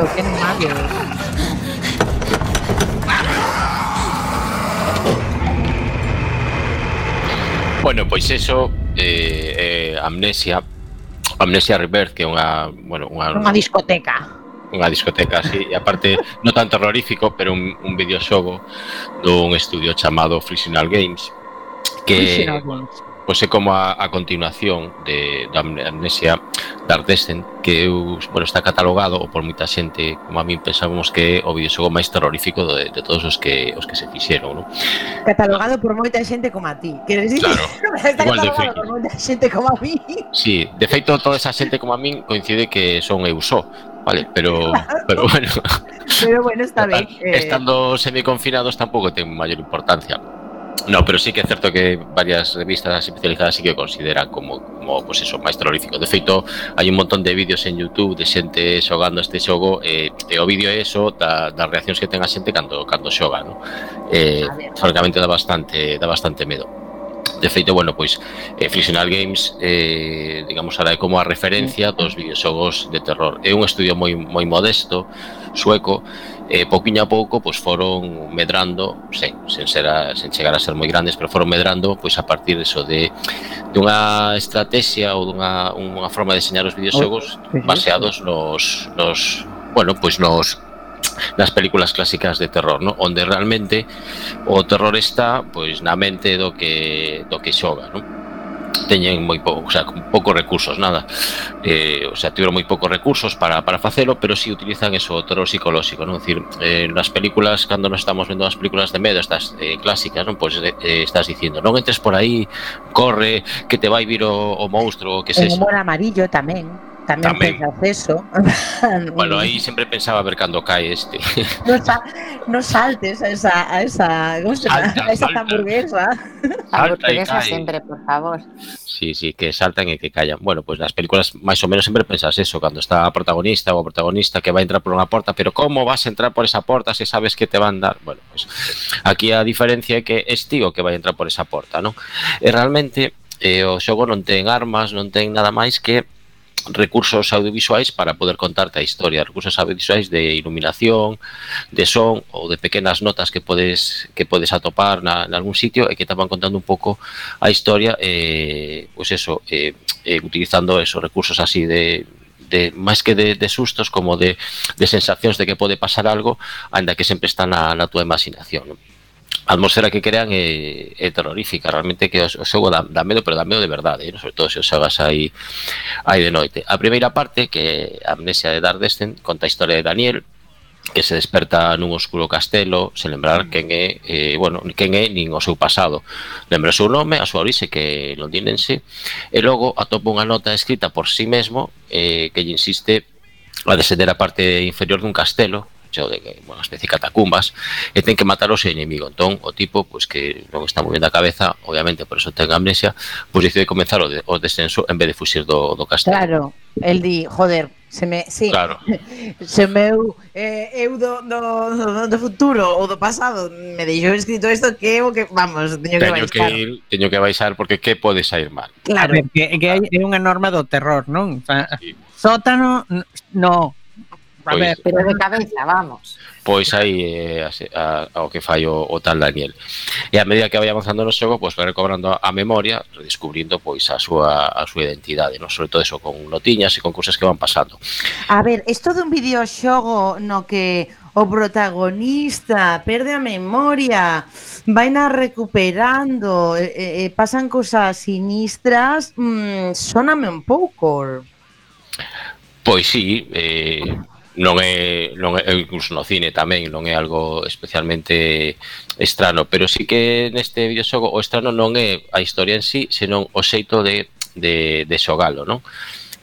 Speaker 10: isto, que animales.
Speaker 5: Bueno, pois eso, eh, eh, Amnesia, Amnesia Rebirth, que é unha, bueno, unha,
Speaker 9: Unha discoteca.
Speaker 5: unha discoteca así, e aparte non tan terrorífico, pero un, un videoxogo dun estudio chamado Frictional Games, que
Speaker 10: Frictional Games.
Speaker 5: pois é como a, a continuación de, de Amnesia Dark Descent, que eu, bueno, está catalogado, ou por moita xente como a min pensamos que é o videoxogo máis terrorífico de, de todos os que os que se fixeron, non?
Speaker 9: Catalogado por moita xente como a ti. Queres dicir?
Speaker 5: Claro,
Speaker 9: Está
Speaker 5: igual de
Speaker 9: catalogado
Speaker 5: feito.
Speaker 9: por moita xente como a mí.
Speaker 5: Sí, de feito toda esa xente como a min coincide que son eu só, vale, pero pero bueno,
Speaker 9: Pero bueno, está ben. Eh,
Speaker 5: estando semiconfinados tampouco ten maior importancia. No, pero sí que é certo que varias revistas especializadas sí que consideran como, como pues eso, máis terrorífico. De feito, hai un montón de vídeos en YouTube de xente xogando este xogo, e, e o vídeo é eso da, das reaccións que ten a xente cando, cando xoga, ¿no? Eh, francamente dá bastante, dá bastante medo. De feito, bueno, pois eh, Frictional Games, eh, digamos, ahora é como a referencia dos videoxogos de terror. É un estudio moi moi modesto, sueco, e eh, pouquiño a pouco pois foron medrando, sen, sen, ser a, sen chegar a ser moi grandes, pero foron medrando pois a partir eso de dunha estrategia ou dunha unha forma de deseñar os videoxogos baseados nos, nos bueno, pois nos nas películas clásicas de terror, ¿no? Onde realmente o terror está pois na mente do que do que xoga, ¿no? Teñen moi pouco, o sea, con poucos recursos, nada. Eh, o sea, tiveron moi poucos recursos para, para facelo, pero si sí utilizan eso, o terror psicolóxico, non? Decir, eh, nas películas, cando nos estamos vendo as películas de medo, estas eh, clásicas, non? Pois pues, eh, estás dicindo, non entres por aí, corre, que te vai vir o, o monstruo, que
Speaker 9: En
Speaker 5: sexa.
Speaker 9: humor amarillo tamén. Tamén,
Speaker 5: Tamén.
Speaker 9: pensas eso.
Speaker 5: Bueno, aí sempre pensaba ver cando cae este.
Speaker 9: No, sa no saltes a esa, a esa, ¿cómo se llama?
Speaker 5: Salta,
Speaker 9: A esa
Speaker 5: salta.
Speaker 9: hamburguesa.
Speaker 5: Salta e
Speaker 6: Hamburguesa
Speaker 5: cae.
Speaker 6: sempre, por favor.
Speaker 5: Sí, sí, que saltan e que callan. Bueno, pues nas películas máis ou menos sempre pensas eso, cando está a protagonista ou o protagonista que vai entrar por unha porta, pero como vas a entrar por esa porta se sabes que te van dar? Bueno, pues aquí a diferencia é que es tío que vai entrar por esa porta, non? E realmente eh, o xogo non ten armas, non ten nada máis que recursos audiovisuais para poder contarte a historia, recursos audiovisuais de iluminación, de son ou de pequenas notas que podes que podes atopar na, en algún sitio e que te van contando un pouco a historia, eh, pues eso, eh, eh, utilizando esos recursos así de de máis que de, de sustos como de, de sensacións de que pode pasar algo, ainda que sempre está na, na tua imaginación, non? A atmosfera que crean é, é terrorífica, realmente que o, o xogo dá, dá medo, pero dá medo de verdade, ¿no? Sobre todo se o xogas aí, aí de noite. A primeira parte, que é Amnesia de Dark Descent, conta a historia de Daniel, que se desperta nun oscuro castelo, sen lembrar quen é, eh, bueno, quen é nin o seu pasado. Lembra o seu nome, a súa orixe, que é londinense, e logo atopa unha nota escrita por si mesmo, eh, que lle insiste a descender a parte inferior dun castelo, de que, bueno, especie de catacumbas, e ten que matar o seu enemigo. Entón, o tipo, pues, que non está moi ben da cabeza, obviamente, por eso ten amnesia, pues decide comenzar o, de, o descenso en vez de fuxir do, do castelo.
Speaker 9: Claro, el di, joder, se me, sí,
Speaker 5: Claro.
Speaker 9: se meu, eh, eu do, do, do, do futuro ou do pasado me deixou escrito isto que eu que, vamos, teño que
Speaker 5: Teño que,
Speaker 9: baixar.
Speaker 5: ir, teño que baixar porque que pode sair mal.
Speaker 9: Claro.
Speaker 10: A ver, que, que hai, é unha norma do terror, non? O sea,
Speaker 5: Sí.
Speaker 10: sótano, n- no. A
Speaker 5: Pois-
Speaker 10: ver,
Speaker 6: Pero de cabeza, vamos.
Speaker 5: Pois aí é eh, ao que fai o, o tal Daniel. E a medida que vai avanzando no xogo, pois vai recobrando a memoria, redescubrindo pois a súa a súa identidade, non? Sobre todo eso con notiñas e con cousas que van pasando.
Speaker 9: A ver, isto dun videoxogo no que o protagonista perde a memoria, vaina recuperando, e, e, e pasan cousas sinistras, mmm, sóname un pouco.
Speaker 5: Pois sí, eh, non é, non é, incluso no cine tamén non é algo especialmente estrano, pero sí que neste videoxogo o estrano non é a historia en sí, senón o xeito de, de, de xogalo, non?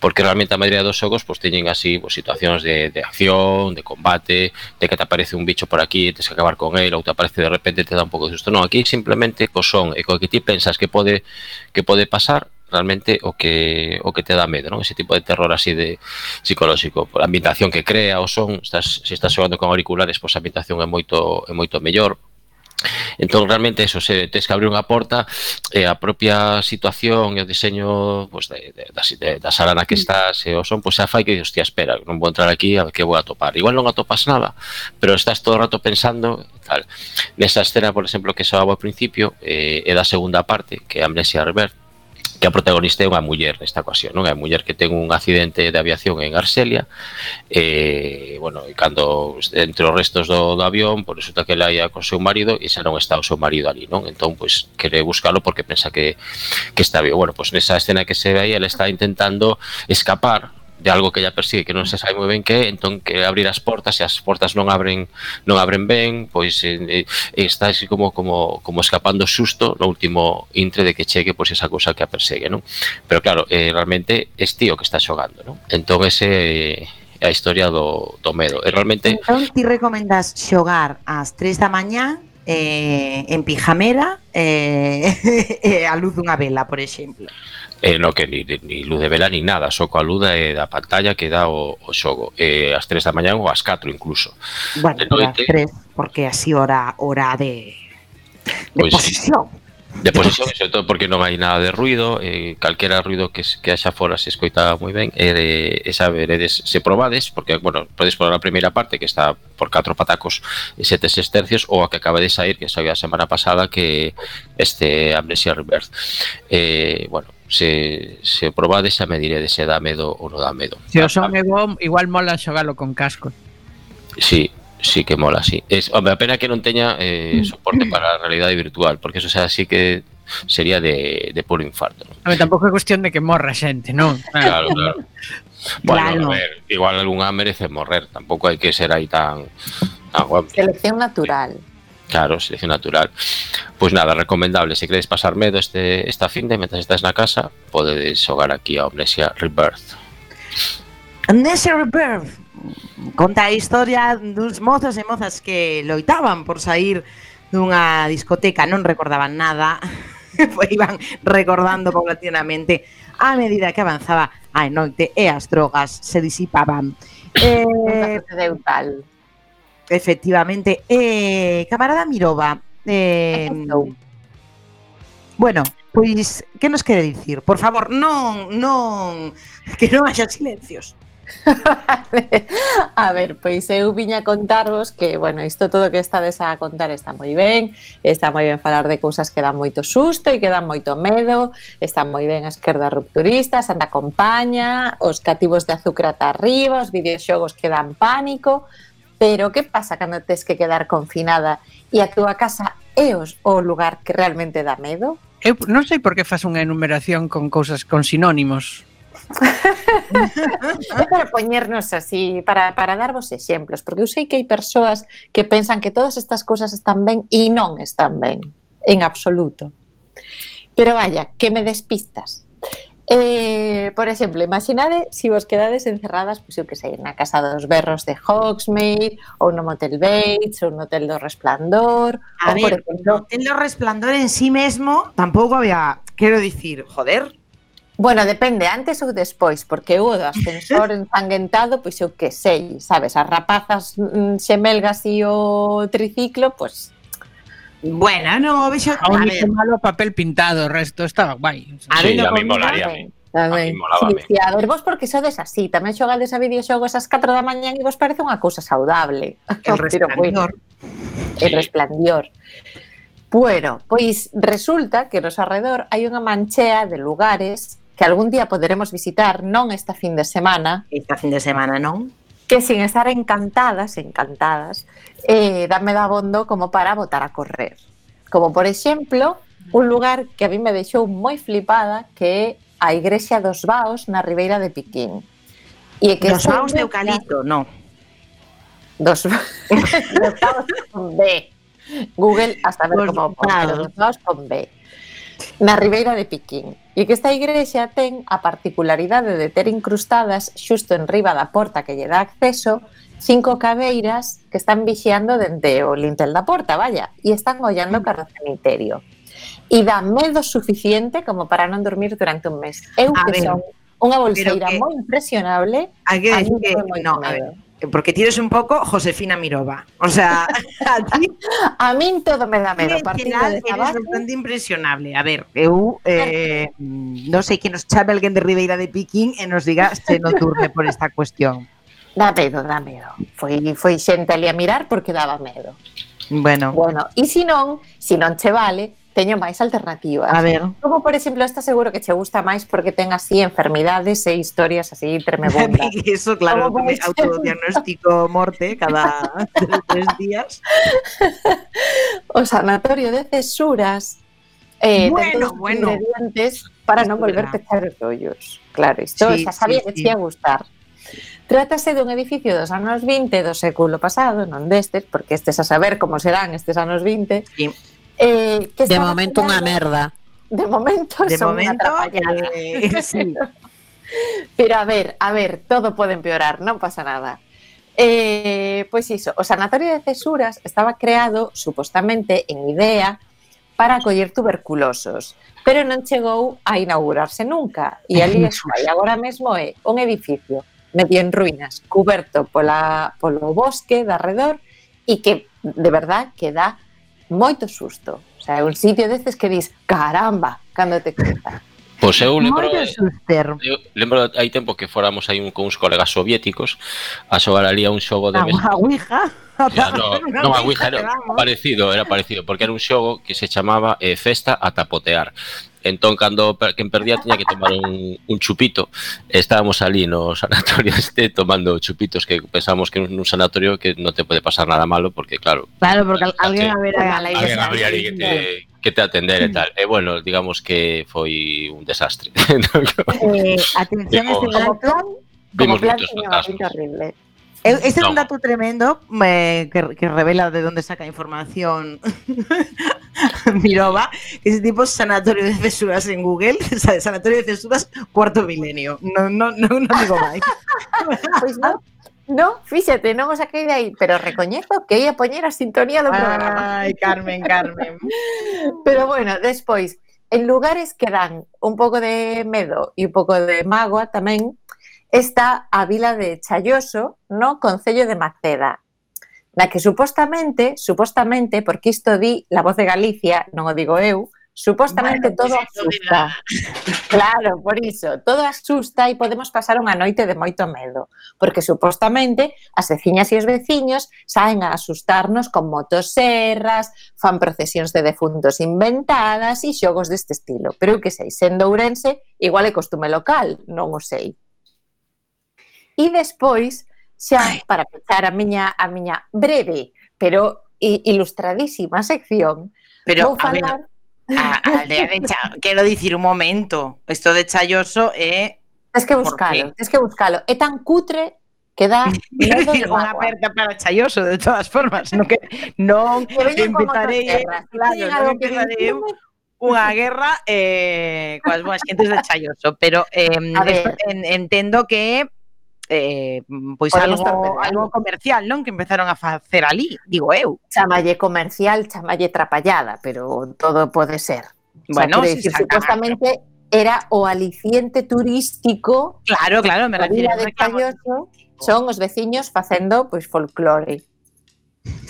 Speaker 5: Porque realmente a maioría dos xogos pues, teñen así pues, situacións de, de acción, de combate, de que te aparece un bicho por aquí e tens que acabar con ele, ou te aparece de repente e te dá un pouco de susto. Non, aquí simplemente co son e co que ti pensas que pode que pode pasar, realmente o que o que te dá medo, non? Ese tipo de terror así de psicolóxico, a ambientación que crea, o son, estás se estás xogando con auriculares, pois a ambientación é moito é moito mellor. Entón, realmente, eso, se tens que abrir unha porta e a propia situación e o diseño pues, de, de, de, da sala na que estás e o son, pues, xa fai que, hostia, espera, non vou entrar aquí a ver que vou atopar. Igual non atopas nada, pero estás todo o rato pensando tal. Nesa escena, por exemplo, que soaba ao principio, eh, é da segunda parte, que é Amnesia Rebirth, que a protagonista é unha muller nesta ocasión, non? É unha muller que ten un accidente de aviación en Argelia e, bueno, e cando entre os restos do, do avión, por resulta que ela ia con seu marido e xa non está o seu marido ali, non? Entón, pois, quere buscalo porque pensa que, que está vivo. Bueno, pois nesa escena que se ve aí, ela está intentando escapar de algo que ella persigue que non se sabe moi ben que é, entón que abrir as portas e as portas non abren non abren ben, pois eh, está así como como como escapando susto no último intre de que chegue pois esa cousa que a persegue, non? Pero claro, eh, realmente é tío que está xogando, non? Entón ese é a historia do, do medo. E realmente
Speaker 9: Entón ti recomendas xogar ás tres da mañá eh, en pijamera eh, eh, a luz dunha vela, por exemplo.
Speaker 5: Eh, no que ni, ni luz de vela ni nada, só coa luz eh, da pantalla que dá o, o xogo eh, ás tres da mañá ou ás catro incluso.
Speaker 9: Bueno, ás tres, porque así hora hora de, de
Speaker 5: pues,
Speaker 9: posesión.
Speaker 5: De posesión, sobre todo porque non hai nada de ruido, eh, calquera ruido que, que haxa fora se escoita moi ben, e eh, esa veredes, se probades, porque, bueno, podes probar a primeira parte que está por catro patacos e sete sextercios, ou a que acaba de sair, que saiu a semana pasada, que este Amnesia Rebirth. Eh, bueno, se, se probades xa me diredes se dá medo ou non dá medo.
Speaker 10: Se o son é bom, igual mola xogalo con casco.
Speaker 5: Sí, sí que mola, sí. Es, hombre, a pena que non teña eh, soporte para a realidade virtual, porque eso xa sí que sería de, de puro infarto, ¿no?
Speaker 10: A ver, tampouco é cuestión de que morra xente, non?
Speaker 5: Claro, claro. Bueno,
Speaker 6: Claro.
Speaker 5: a ver, igual algunha merece morrer, tampouco hai que ser aí tan, tan guapo.
Speaker 6: Selección natural.
Speaker 5: Claro, selección natural. Pois nada, recomendable, se queredes pasar medo este, esta finde, mentras estás na casa, podedes xogar aquí a Amnesia Rebirth.
Speaker 9: Amnesia Rebirth conta a historia dos mozos e mozas que loitaban por sair dunha discoteca, non recordaban nada, pois iban recordando paulatinamente a medida que avanzaba a noite e as drogas se disipaban. Eh,
Speaker 6: Deu tal.
Speaker 9: efectivamente, eh, camarada Mirova, eh, bueno, pois, que nos quere dicir? Por favor, non, non, que non haxa silencios.
Speaker 6: A ver, pois eu viña a contarvos que, bueno, isto todo que estades a contar está moi ben, está moi ben falar de cousas que dan moito susto e que dan moito medo, está moi ben a esquerda rupturista, a Santa Compaña, os cativos de azúcar ata arriba, os videoxogos que dan pánico, pero que pasa cando tes que quedar confinada e a túa casa é os, o lugar que realmente dá medo?
Speaker 10: Eu non sei por que faz unha enumeración con cousas con sinónimos.
Speaker 6: É para poñernos así, para, para darvos exemplos, porque eu sei que hai persoas que pensan que todas estas cousas están ben e non están ben, en absoluto. Pero vaya, que me despistas. Eh, por exemplo, imaginade se vos quedades encerradas, pois eu que sei, na casa dos berros de Hogsmeade, ou no Motel Bates, ou no Hotel do Resplandor.
Speaker 9: A
Speaker 6: ou, por
Speaker 9: ver,
Speaker 6: exemplo,
Speaker 9: no Hotel do Resplandor en sí mesmo tampouco había, quero dicir, joder.
Speaker 6: Bueno, depende, antes ou despois, porque o do ascensor ensanguentado, pois eu que sei, sabes, as rapazas mm, xemelgas e o triciclo, pois...
Speaker 9: Bueno, no, vexo...
Speaker 10: A único malo papel pintado, o resto estaba guai.
Speaker 5: Sí, a mí molaría a mí. A mí molaba a mí.
Speaker 6: Sí, a ver, vos porque sodes así, tamén xogades a videoxogos ás catro da mañá e vos parece unha cousa saudable.
Speaker 9: El Resplandor.
Speaker 6: El Resplandor. Bueno, pois resulta que nos arredor hai unha manchea de lugares que algún día poderemos visitar, non esta fin de semana.
Speaker 9: Esta fin de semana, non?
Speaker 6: Que sin estar encantadas, encantadas, eh, dame dabondo como para botar a correr. Como, por exemplo, un lugar que a mí me deixou moi flipada, que é a Igrexa dos Vaos na Ribeira de Piquín. E que
Speaker 9: Dos Vaos de Eucalipto, non.
Speaker 6: Dos, dos Vaos con B. Google a saber
Speaker 9: Dos
Speaker 6: como pon,
Speaker 9: Vaos.
Speaker 6: dos Vaos con B. Na Ribeira de Piquín. E que esta igrexa ten a particularidade de ter incrustadas xusto en riba da porta que lle dá acceso cinco caveiras que están vixiando dende o lintel da porta, vaya, e están ollando cara ao cemiterio. E dá medo suficiente como para non dormir durante un mes. Eu
Speaker 9: A
Speaker 6: que
Speaker 9: ver,
Speaker 6: son unha bolseira
Speaker 9: que-
Speaker 6: moi impresionable,
Speaker 9: Hai que
Speaker 6: a mí
Speaker 9: decir que,
Speaker 6: me foi moito
Speaker 9: no, a ver,
Speaker 6: medo.
Speaker 9: porque tires un pouco Josefina Mirova. O sea, a ti
Speaker 6: A min todo me dá medo.
Speaker 9: en
Speaker 6: Partindo
Speaker 9: general
Speaker 6: desa
Speaker 9: eres
Speaker 6: base,
Speaker 9: bastante impresionable. A ver, eu eh, non sei que nos chame alguén de Ribeira de Piquín e nos diga se non durme por esta cuestión.
Speaker 6: dá medo, dá medo. Foi, foi xente ali a mirar porque daba medo.
Speaker 9: Bueno,
Speaker 6: Bueno, e se non, se non che vale, teño máis alternativas.
Speaker 9: a ver.
Speaker 6: Como, por exemplo, esta seguro que che gusta máis porque ten así enfermidades e historias así tremebundas.
Speaker 9: Eso, claro,
Speaker 6: Como
Speaker 9: me
Speaker 6: vais?
Speaker 9: autodiagnóstico morte cada tres días.
Speaker 6: O sanatorio de cesuras eh, ten
Speaker 9: Bueno,
Speaker 6: todos os
Speaker 9: bueno.
Speaker 6: ingredientes para non
Speaker 9: Isto
Speaker 6: volver
Speaker 9: verá.
Speaker 6: a pechar os ollos. Claro, isto
Speaker 9: Sí,
Speaker 6: xa sabía
Speaker 9: sí,
Speaker 6: que
Speaker 9: sí.
Speaker 6: te ia gustar. Trátase dun edificio dos anos vinte do século pasado, non destes, porque estes a saber como serán estes anos vinte.
Speaker 9: Sí.
Speaker 6: Eh, que
Speaker 8: De
Speaker 6: estaba
Speaker 8: momento unha
Speaker 6: creado-
Speaker 8: merda.
Speaker 6: De momento
Speaker 9: De
Speaker 6: son unha
Speaker 9: momento,
Speaker 6: atrapallada.
Speaker 9: eh, sí.
Speaker 6: Pero a ver, a ver, todo pode empeorar, non pasa nada. Eh, pois iso, o sanatorio de cesuras estaba creado supostamente en idea para acoller tuberculosos, pero non chegou a inaugurarse nunca. E ali está, e agora mesmo é un edificio medio en ruínas, cuberto pola, polo bosque de arredor e que, de verdad, que dá moito susto. O sea, é un sitio destes que dis, caramba, cando te conta.
Speaker 5: Pois eu lembro,
Speaker 9: Moito suster.
Speaker 5: eu lembro hai tempo que fóramos aí un, con uns colegas soviéticos a xogar ali a un xogo de
Speaker 9: A
Speaker 5: mesa.
Speaker 9: a Ouija.
Speaker 5: Ya, no, non a Ouija, era parecido, era parecido, porque era un xogo que se chamaba eh, Festa a tapotear. Entón, cando per- quen perdía tiña que tomar un, un chupito. Estábamos ali no sanatorio este tomando chupitos que pensamos que nun sanatorio que non te pode pasar nada malo, porque claro,
Speaker 9: Claro, porque al- alguén
Speaker 5: Sí.
Speaker 9: a ver a la
Speaker 5: alguén habría ali que te, que te atender e tal. E bueno, digamos que foi un desastre.
Speaker 9: Eh, atención a este
Speaker 5: Vimos-
Speaker 6: Como
Speaker 9: dato.
Speaker 6: plan, como
Speaker 5: Vimos
Speaker 6: plan
Speaker 5: moitos
Speaker 6: tiña unha
Speaker 5: fantasmas.
Speaker 6: pinta horrible.
Speaker 9: Eu- Este é un
Speaker 5: No.
Speaker 9: dato tremendo eh, que, que revela de dónde saca información Mirova, que ese tipo sanatorio de cesuras en Google, sabe, sanatorio de cesuras cuarto milenio. No, no, no, no digo máis.
Speaker 6: Pois non, non, fíxate, non o saquei de aí, pero recoñezo que ia poñer a sintonía do programa.
Speaker 9: Ai, Carmen, Carmen.
Speaker 6: Pero bueno, despois, en lugares que dan un pouco de medo e un pouco de mágoa tamén, está a vila de Chaioso, no concello de Maceda, na que supostamente, supostamente, porque isto di la Voz de Galicia, non o digo eu, supostamente
Speaker 9: Bueno,
Speaker 6: todo
Speaker 9: pues eso
Speaker 6: asusta. Claro, por iso, todo asusta e podemos pasar unha noite de moito medo, porque supostamente as veciñas e os veciños saen a asustarnos con motosserras, fan procesións de defuntos inventadas e xogos deste estilo. Pero eu que sei, sendo ourense, igual é costume local, non o sei. E despois, xa para pechar a miña a miña breve, pero i- ilustradísima sección,
Speaker 9: Pero,
Speaker 6: vou
Speaker 9: a ver,
Speaker 6: falar
Speaker 9: a, a aldea de Cha... Quero dicir un momento. Isto de Chaioso é...
Speaker 6: Tens que
Speaker 9: Por
Speaker 6: buscalo, tens que buscalo. É tan cutre que dá
Speaker 9: Quero
Speaker 6: medo
Speaker 9: dicir,
Speaker 6: de
Speaker 9: unha
Speaker 6: mágoa.
Speaker 9: aperta para Chaioso, de todas formas. Non, que, non
Speaker 6: Que veñen con
Speaker 9: empezarei,
Speaker 6: motosserras.
Speaker 9: claro,
Speaker 6: Teñen
Speaker 9: non
Speaker 6: algo que
Speaker 9: empezarei eu
Speaker 6: dicirme.
Speaker 9: unha guerra eh, coas boas xentes de Chaioso, pero eh,
Speaker 6: A ver.
Speaker 9: esto, en, entendo que eh, pois
Speaker 6: Podemos
Speaker 9: algo,
Speaker 6: estar peleando.
Speaker 9: algo comercial, non? Que empezaron a facer ali, digo eu.
Speaker 6: Chamalle comercial, chamalle trapallada, pero todo pode ser.
Speaker 9: Bueno,
Speaker 6: quero
Speaker 9: se
Speaker 6: dicir,
Speaker 9: saca-
Speaker 6: supostamente era o aliciente turístico
Speaker 9: Claro, claro, me
Speaker 6: da
Speaker 9: refiro
Speaker 6: vila de Chaioso, son os veciños facendo pois folclore.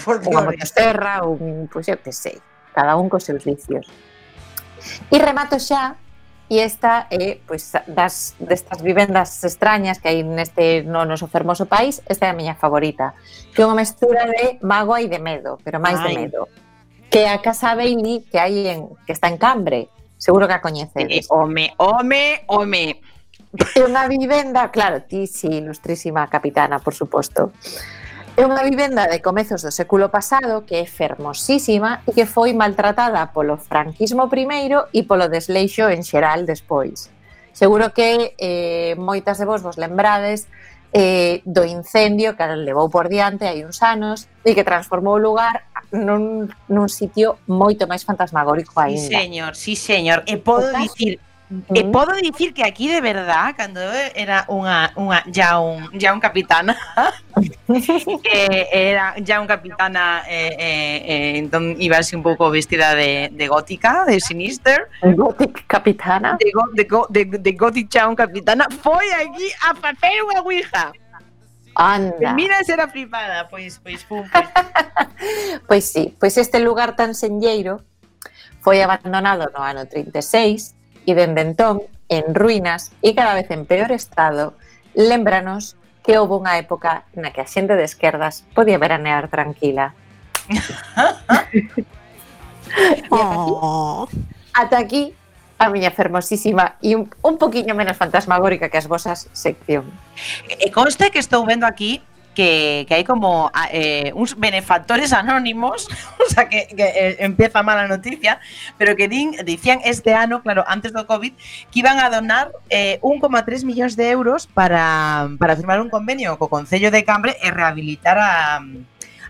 Speaker 6: Unha motoserra, un, pois eu que sei, cada un cos seus vicios. E remato xa, e esta é pois das destas vivendas extrañas que hai neste no noso fermoso país, esta é a miña favorita, que é unha mestura de mágoa e de medo, pero máis de
Speaker 9: Ai.
Speaker 6: medo. Que é a Casa Bailey que hai en que está en Cambre, seguro que a
Speaker 9: Eh,
Speaker 6: coñecedes.
Speaker 9: home, home, home.
Speaker 6: É unha vivenda, claro, ti si, ilustrísima capitana, por suposto. É unha vivenda de comezos do século pasado que é fermosísima e que foi maltratada polo franquismo primeiro e polo desleixo en xeral despois. Seguro que eh, moitas de vos vos lembrades eh, do incendio que levou por diante hai uns anos e que transformou o lugar nun, nun sitio moito máis fantasmagórico
Speaker 9: Sí,
Speaker 6: aínda.
Speaker 9: señor, sí, señor. E podo
Speaker 6: O caso-
Speaker 9: dicir, e podo dicir que aquí de verdad, cando era unha unha ya un ya un capitana, que era ya un capitana eh, eh, eh, entón iba así un pouco vestida de, de gótica, de sinister,
Speaker 6: Gothic capitana.
Speaker 9: de, go, de, go, de, de gothic ya un capitana, foi aquí a facer unha ouija.
Speaker 6: Anda.
Speaker 9: Mira ser a flipada, pois, pois, pum, pois.
Speaker 6: Pois sí, pois este lugar tan senlleiro foi abandonado no ano trinta e seis e dende entón, en ruínas e cada vez en peor estado, lémbranos que houve unha época na que a xente de esquerdas podía veranear tranquila.
Speaker 8: Oh.
Speaker 6: Ata aquí a miña fermosísima e un, un poquinho menos fantasmagórica que as vosas sección.
Speaker 9: E conste que estou vendo aquí que, que hai como eh, uns benefactores anónimos, o sea, que, que eh, empieza mala noticia, pero que din, dicían este ano, claro, antes do COVID, que iban a donar eh, un coma tres millóns de euros para, para firmar un convenio co Concello de Cambre e rehabilitar a,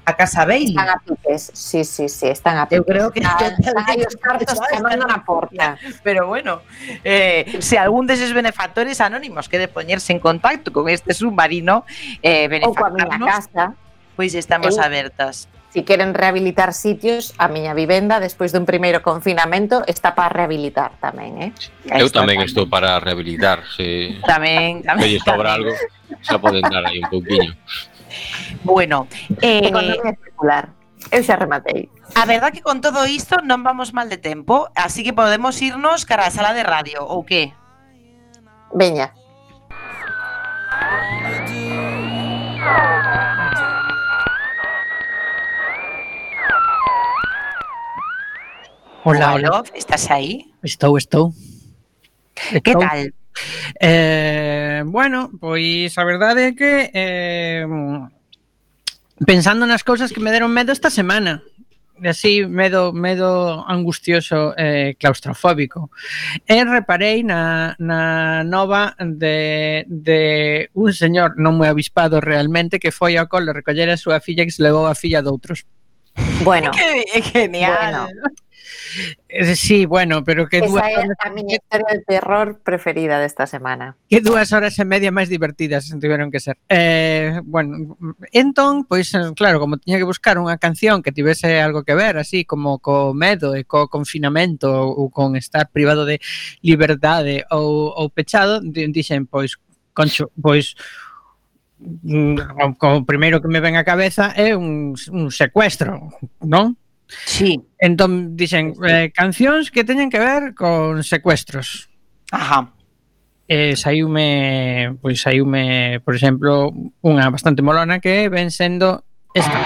Speaker 9: a Casa Bailey.
Speaker 6: Están a piques, sí, sí, sí, están a piques.
Speaker 9: Eu creo que
Speaker 6: están, están aí os cartos chamando na porta.
Speaker 9: Pero bueno, eh, se algún deses benefactores anónimos quere poñerse en contacto con este submarino, eh,
Speaker 6: ou coa miña
Speaker 9: benefactarnos,
Speaker 6: casa,
Speaker 9: pois estamos
Speaker 6: Eu-
Speaker 9: abertas.
Speaker 6: si queren rehabilitar sitios, a miña vivenda despois dun primeiro confinamento está para rehabilitar tamén, eh?
Speaker 5: Eu tamén estou para rehabilitar, se
Speaker 9: Tamén,
Speaker 5: se
Speaker 9: tamén.
Speaker 5: lle sobra algo, xa poden dar aí un pouquiño.
Speaker 9: Bueno, eh,
Speaker 6: Economía circular. Eu xa rematei.
Speaker 9: a verdad que con todo isto non vamos mal de tempo, así que podemos irnos cara á sala de radio, ou que?
Speaker 6: Veña.
Speaker 10: Hola, hola.
Speaker 9: Love, estás aí?
Speaker 10: Estou, estou.
Speaker 9: Que
Speaker 10: Estou.
Speaker 9: tal?
Speaker 10: Eh, bueno, pois a verdade é que eh, pensando nas cousas que me deron medo esta semana, e así medo medo angustioso e eh, claustrofóbico. E reparei na, na nova de, de un señor non moi avispado realmente que foi ao cole recoller a súa filla que se levou a filla doutros.
Speaker 6: Bueno,
Speaker 9: Que genial.
Speaker 6: Bueno.
Speaker 10: Eh, Sí, bueno, pero que dúas
Speaker 6: esa é
Speaker 10: horas,
Speaker 6: a miña historia de terror preferida desta semana.
Speaker 10: que dúas horas e media máis divertidas tiveron que ser. Eh, bueno, entón, pois eh, claro, como tiña que buscar unha canción que tivese algo que ver, así como co medo e co confinamento ou con estar privado de liberdade ou, ou pechado, di- dixen, pois, concho, pois mm, o, o primeiro que me ven á cabeza é un, un secuestro, non?
Speaker 9: Sí.
Speaker 10: Entón dixen eh, cancións que teñen que ver con secuestros.
Speaker 9: Ajá.
Speaker 10: Eh, saiume, pois saiume, por exemplo, unha bastante molona que ven sendo esta.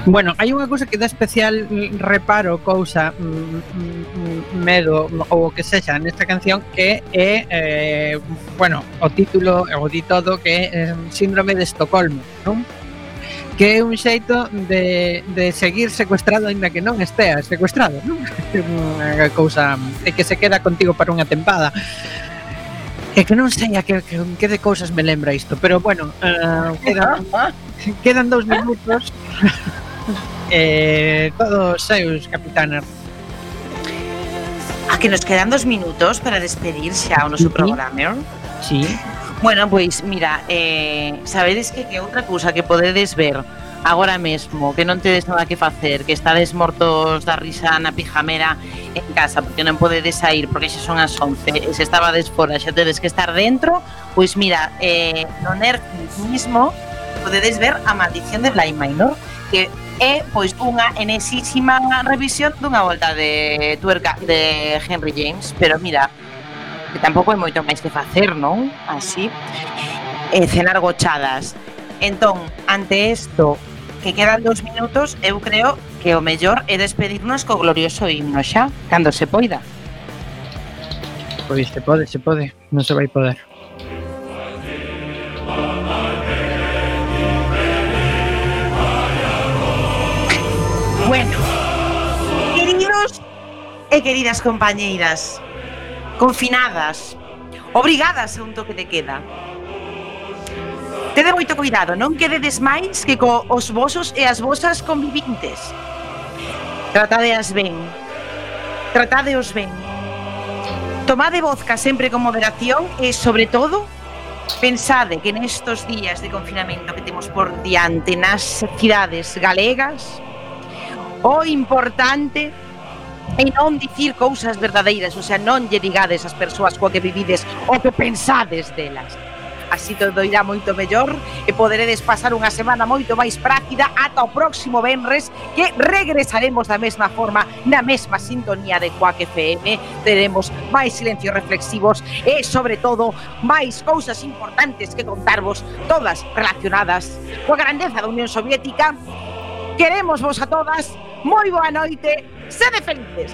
Speaker 10: Bueno, hai unha cousa que dá especial reparo, cousa, mm, medo ou o que sexa nesta canción, que é, eh, bueno, o título, o di todo, que é eh, Síndrome de Estocolmo, non? Que é un xeito de, de seguir secuestrado aínda que non esteas secuestrado, non? Unha cousa é que se queda contigo para unha tempada. É que non sei a que, que, que de cousas me lembra isto, pero bueno, uh, quedan, quedan dous minutos. eh, todos seus, capitana.
Speaker 9: A que nos quedan dos minutos para despedir xa o noso programa.
Speaker 10: Sí.
Speaker 9: Bueno, pois, mira, eh, sabedes que, que outra cousa que podedes ver agora mesmo, que non tedes nada que facer, que estades mortos da risa na pijamera en casa, porque non podedes sair, porque xa son as once, e se estabades fora, xa tedes que estar dentro, pois mira, eh, no Netflix mismo podedes ver A Maldición de Bly Manor, que é pois unha enesísima revisión dunha volta de tuerca de Henry James, pero mira, que tampouco hai moito máis que facer, non? Así, eh, cenar gochadas. Entón, ante isto, que quedan dos minutos, eu creo que o mellor é despedirnos co glorioso himno xa, cando se poida.
Speaker 10: Pois se pode, se pode, non se vai poder.
Speaker 9: Bueno, queridos e queridas compañeiras, confinadas, obrigadas a un toque de queda, tede moito cuidado, non quededes máis que co os vosos e as vosas convivintes. Tratadeas ben, tratadeos ben. Tomade vodka sempre con moderación e, sobre todo, pensade que nestos días de confinamento que temos por diante nas cidades galegas, o importante é non dicir cousas verdadeiras, o sea, non lle digades ás persoas coa que vivides o que pensades delas. Así todo irá moito mellor e poderedes pasar unha semana moito máis práctica ata o próximo venres, que regresaremos da mesma forma, na mesma sintonía de Quack F M. Teremos máis silencios reflexivos e, sobre todo, máis cousas importantes que contarvos, todas relacionadas coa grandeza da Unión Soviética. Queremos vos a todas, moi boa noite, sede felices.